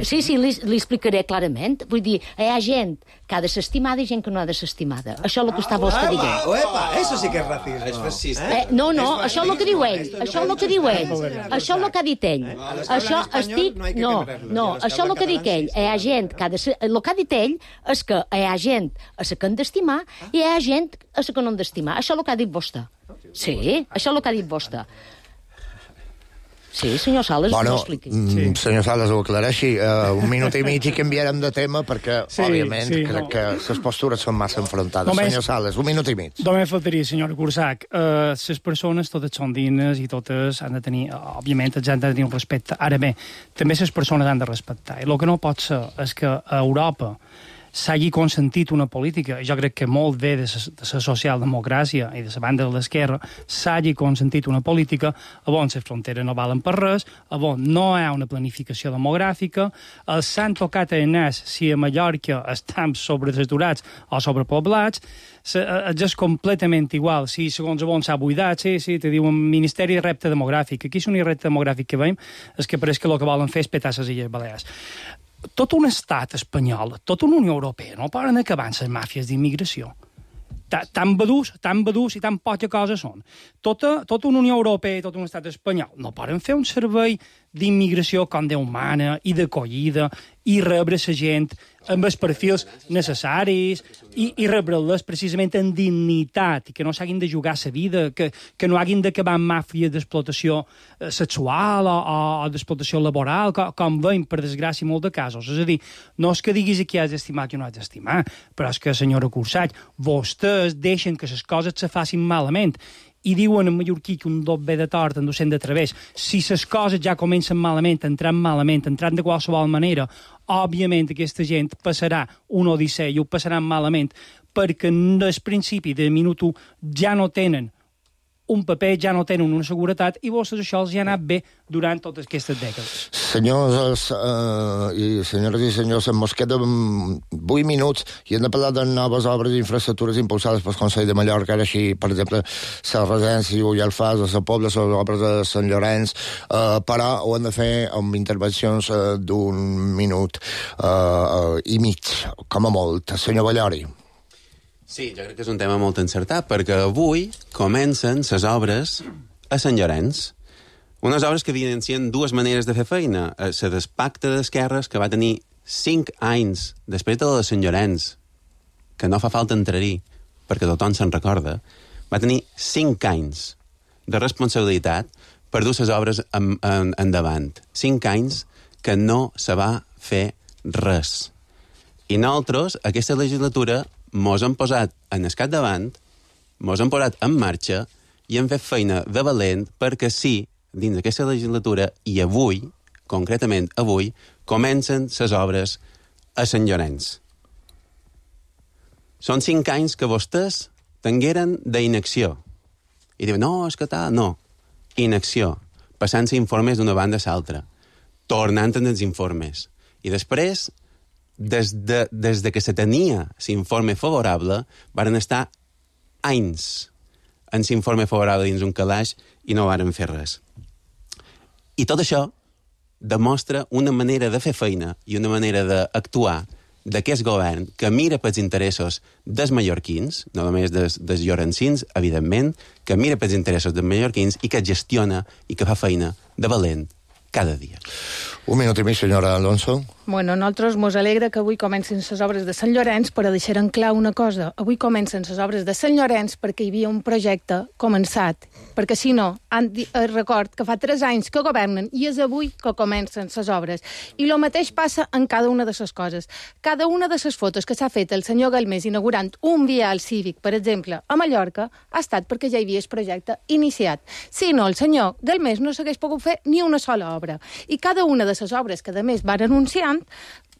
Sí, li explicaré clarament. Vull dir, hi ha gent que ha de ser estimada i gent que no ha de ser estimada. Això és el que està vostè dient. Epa, eso sí que és racisme. És racista. No, això és el que diu ell. Això és el que diu ell. Això és el que ha dit ell. Això estic... No, això és el que dic ell. Hi ha gent que ha de ser... El que ha dit ell és que hi ha gent a la que han d'estimar i hi ha gent a la que no han d'estimar. Això és el que ha dit vostè. Sí, això és el que ha dit vostè. Sí, senyor Sales, no expliqui. Senyor Sales, ho aclareixi. 1 minut i mig i canviarem de tema perquè, òbviament, crec que les postures són massa enfrontades. Senyor Sales, 1 minut i mig. Només faltaria, senyora Cursach. Les persones totes són dignes i totes han de tenir, òbviament, han de tenir un respecte. Ara bé, també les persones han de respectar. I el que no pot ser és que a Europa s'hagi consentit una política, jo crec que molt bé de la socialdemocràcia i de la banda de l'esquerra, s'hagi consentit una política on les fronteres no valen per res, on no hi ha una planificació demogràfica, els s'han tocat el nas si a Mallorca estan sobresaturats o sobrepoblats, és completament igual, si segons on s'ha buidat, sí, te diuen Ministeri de Repte Demogràfic. Aquí és un repte demogràfic que veiem, és que pareix que el que volen fer és petar les Illes Balears. Tot un estat espanyol, tota una Unió Europea, no poden acabar amb les màfies d'immigració. Tan badús i tan poca cosa són. Tota una Unió Europea i tot un estat espanyol no poden fer un servei d'immigració com Déu mana i d'acollida i rebre la gent amb els perfils necessaris i rebre-les precisament en dignitat i que no s'hagin de jugar la vida, que no hagin d'acabar amb màfies d'explotació sexual o d'explotació laboral, com veiem, per desgràcia, molt de casos. És a dir, no és que diguis aquí has d'estimar que no has d'estimar, però és que, senyora Cursach, vostès deixen que les coses se facin malament i diuen en mallorquí que un dot ve de tort en docent de través. Si les coses ja comencen malament, entrant de qualsevol manera, òbviament aquesta gent passarà un odissea i ho passaran malament perquè des principi de minut 1 ja no tenen un paper, ja no tenen una seguretat i vostès això els ha anat bé durant totes aquestes dècades. Senyores i senyors, ens queden 8 minuts i hem de parlar de noves obres d'infraestructures impulsades pel Consell de Mallorca, ara així, per exemple, la residència i Alfàs, la Pobla, les obres de Sant Llorenç, però ho hem de fer amb intervencions d'1 minut i mig, com a molt. Senyor Ballori. Sí, jo crec que és un tema molt encertat, perquè avui comencen les obres a Sant Llorenç. Unes obres que evidencien dues maneres de fer feina. La del Pacte d'Esquerres, que va tenir 5 anys després de la de Sant Llorenç, que no fa falta entrar-hi, perquè tothom se'n recorda, va tenir 5 anys de responsabilitat per dur les obres endavant. 5 anys que no se va fer res. I nosaltres, aquesta legislatura, mos han posat en el capdavant, mos han posat en marxa i hem fet feina de valent perquè sí, dins d'aquesta legislatura, i avui, concretament avui, comencen les obres a Sant Llorenç. Són 5 anys que vostès tingueren d'inacció. I diuen, no, és que tal, no. Inacció. Passant-se informes d'una banda a l'altra. Tornant en els informes. I després, des de que se tenia l'informe favorable, varen estar anys en l'informe favorable dins un calaix i no varen fer res. I tot això demostra una manera de fer feina i una manera d'actuar d'aquest govern que mira pels interessos dels mallorquins, no només dels llorencins, evidentment, que mira pels interessos dels mallorquins i que gestiona i que fa feina de valent cada dia. Un minut i mig, senyora Alonso. Bueno, nosaltres mos alegra que avui comencin les obres de Sant Llorenç, però deixarem clar una cosa. Avui comencen les obres de Sant Llorenç perquè hi havia un projecte començat. Perquè si no, record que fa 3 anys que governen i és avui que comencen les obres. I el mateix passa en cada una de les coses. Cada una de les fotos que s'ha fet el senyor Galmés inaugurant un vial cívic, per exemple, a Mallorca, ha estat perquè ja hi havia el projecte iniciat. Si no, el senyor Galmés no s'hagués pogut fer ni una sola obra. I cada una de les obres que, a més, van anunciant,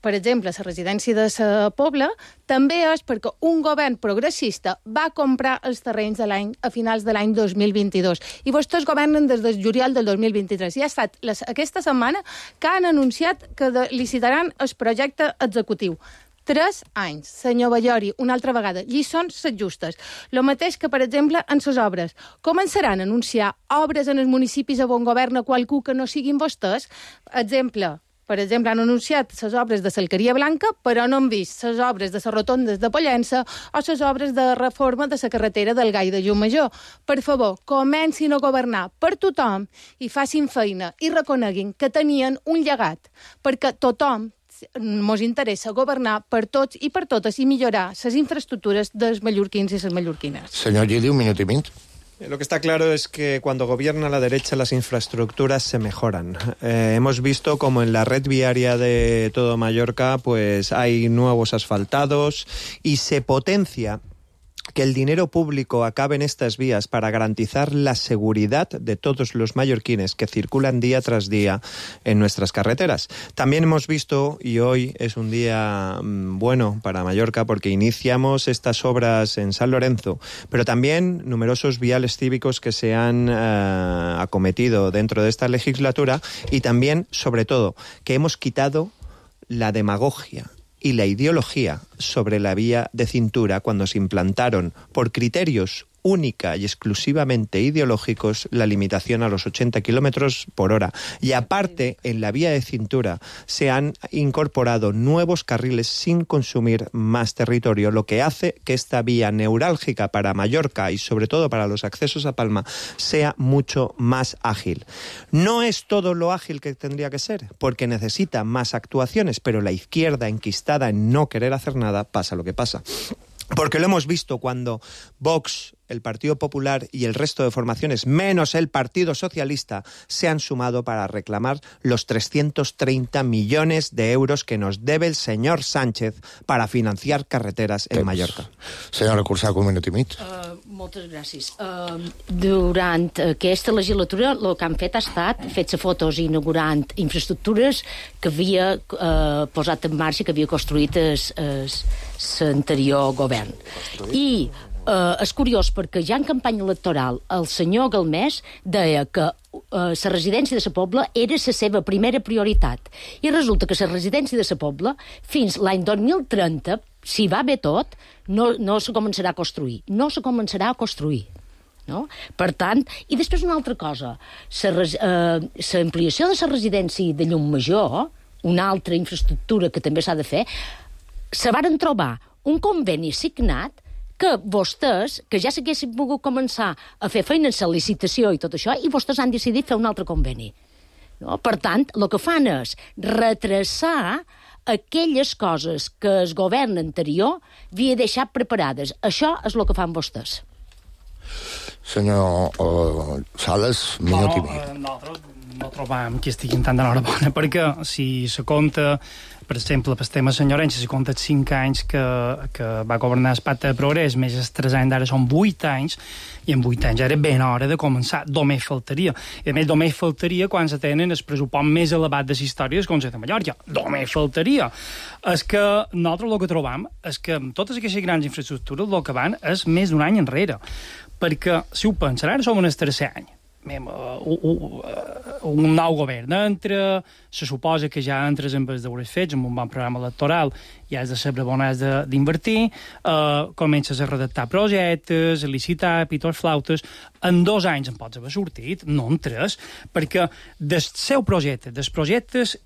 per exemple, la residència de la Pobla, també és perquè un govern progressista va comprar els terrenys a finals de l'any 2022. I vostès governen des del juliol del 2023. I ha estat aquesta setmana que han anunciat que licitaran el projecte executiu. 3 anys, senyor Ballori, una altra vegada, lliçons set justes. El mateix que, per exemple, en les obres. Començaran a anunciar obres en els municipis on governa qualcú que no siguin vostès? Per exemple, han anunciat les obres de l'Alqueria Blanca, però no han vist les obres de les rotondes de Pollença o les obres de reforma de la carretera del Gai de Llumajor. Per favor, comencin a governar per tothom i facin feina i reconeguin que tenien un llegat, perquè tothom mos interessa governar per tots i per totes i millorar les infraestructures dels mallorquins i les mallorquines. Senyor Gili, un minut i mig. Lo que está claro es que cuando gobierna la derecha las infraestructuras se mejoran. Hemos visto como en la red viaria de todo Mallorca pues hay nuevos asfaltados y se potencia que el dinero público acabe en estas vías para garantizar la seguridad de todos los mallorquines que circulan día tras día en nuestras carreteras. También hemos visto, y hoy es un día bueno para Mallorca porque iniciamos estas obras en San Lorenzo, pero también numerosos viales cívicos que se han acometido dentro de esta legislatura y también, sobre todo, que hemos quitado la demagogia y la ideología sobre la vía de cintura cuando se implantaron por criterios única y exclusivamente ideológicos la limitación a los 80 kilómetros por hora. Y aparte, en la vía de cintura se han incorporado nuevos carriles sin consumir más territorio, lo que hace que esta vía neurálgica para Mallorca y sobre todo para los accesos a Palma sea mucho más ágil. No es todo lo ágil que tendría que ser, porque necesita más actuaciones, pero la izquierda enquistada en no querer hacer nada pasa lo que pasa. Porque lo hemos visto cuando Vox, el Partido Popular y el resto de formaciones, menos el Partido Socialista, se han sumado para reclamar los 330 millones de euros que nos debe el señor Sánchez para financiar carreteras en Mallorca. Senyora Cursac, un minut i mig. Moltes gràcies. Durant aquesta legislatura el que han fet ha estat fer-se fotos inaugurant infraestructures que havia posat en marxa, que havia construït l'anterior govern. I és curiós perquè ja en campanya electoral el senyor Galmés deia que la residència de la Pobla era la seva primera prioritat. I resulta que la residència de la Pobla fins l'any 2030, si va bé tot, no se començarà a construir. No se començarà a construir. No? Per tant, i després una altra cosa, l'ampliació de la residència de Llumajor, una altra infraestructura que també s'ha de fer, se varen trobar un conveni signat que vostès, que ja s'haguessin pogut començar a fer feina en la licitació i tot això, i vostès han decidit fer un altre conveni. No? Per tant, el que fan és retrasar aquelles coses que el govern anterior havia deixat preparades. Això és el que fan vostès. Senyor Sales, minut i mig. Nosaltres no trobam que estiguin tan d'enhorabona, perquè si se compta, per exemple, pel tema Senyor Llorenç, si compta 5 anys que va governar el Pacte de Progrés, més els 3 anys d'ara són 8 anys, i en 8 anys era ben hora de començar. Només faltaria. I a més, només faltaria quan se tenen el pressupost més elevat de la història del Consell de Mallorca. Només faltaria. És que nosaltres el que trobam és que amb totes aquestes grans infraestructures el que van és més d'un any enrere. Perquè, si ho pensen, ara som en el 3è any. un nou govern entra, se suposa que ja entres amb els deures fets, amb un bon programa electoral, ja has de saber on has d'invertir, comences a redactar projectes, a licitar, pitors flautes. En 2 anys en pots haver sortit, no en 3, perquè del seu projecte, dels projectes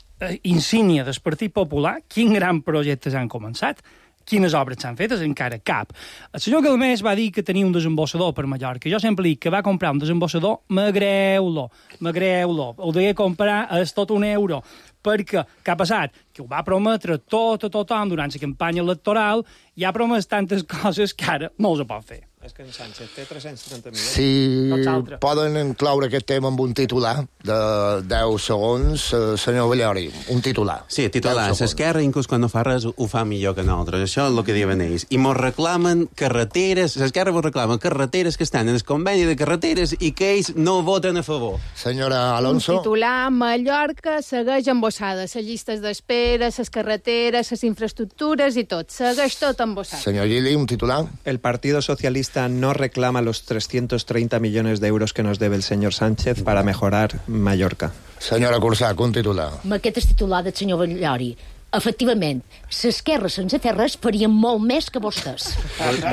insígnia del Partit Popular, quins grans projectes han començat? Quines obres s'han fetes? Encara cap. El senyor Galmés va dir que tenia un desemborsador per Mallorca. Jo sempre dic que va comprar un desemborsador, m'agreu-lo. Ho deia comprar a tot €1. Perquè què ha passat? Que ho va prometre tot a tothom durant la campanya electoral i ha promès tantes coses que ara no els pot fer. És que en Sánchez té 330 milions. Si poden incloure aquest tema amb un titular de 10 segons, senyor Bellori, un titular. Sí, titular. S'Esquerra, inclús quan no fa res, ho fa millor que nosaltres. Això és el que diuen ells. I mos reclamen carreteres, s'Esquerra mos reclamen carreteres que estan en el conveni de carreteres i que ells no voten a favor. Senyora Alonso. Un titular, Mallorca segueix embossada. Les llistes d'espera, les carreteres, les infraestructures i tot. Segueix tot embossat. Senyor Gili, un titular. El Partido Socialista no reclama los 330 millones de euros que nos debe el señor Sánchez para mejorar Mallorca. Senyora Cursac, un titular. Amb aquest és titular del senyor Bellori. Efectivament, s'Esquerra sense fer res farien molt més que vostès.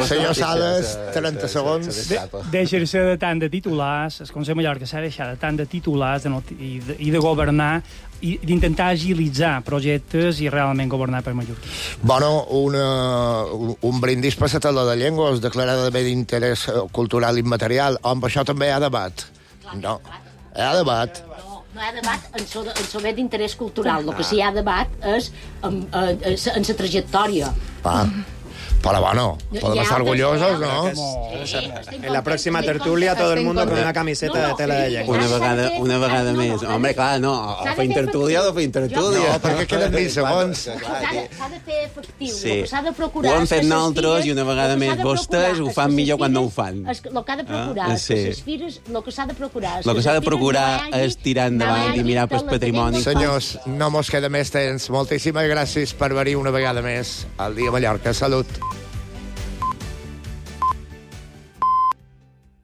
Senyor Sales, 30 segons. Deixar-se de tant de titulars, el Consell de Mallorca s'ha deixat de tant de titulars i de governar i d'intentar agilitzar projectes i realment governar per Mallorca. Bueno, un brindis per la taula de llengües declarada de bé d'interès cultural immaterial. Amb això també hi ha debat. No, hi ha debat. No hi ha debat en sobre d'interès cultural. El que sí hi ha debat és en la trajectòria. Pero bueno, podemos estar orgullosos, ¿no? En la próxima tertulia todo el mundo con una camiseta de tela de llengua. Una vegada més. Home, clar, no, o feim tertúlia o feim tertúlia. No, perquè queden 20 segons. S'ha de fer efectiu. S'ha de procurar... Ho hem fet nosaltres i una vegada més vostès ho fan millor quan no ho fan. El que ha de procurar és que les fires... El que s'ha de procurar El que s'ha de procurar és tirar endavant i mirar pel patrimoni. Senyors, no mos queda més temps. Moltíssimes gràcies per venir una vegada més al Dia Mallorca. Salut.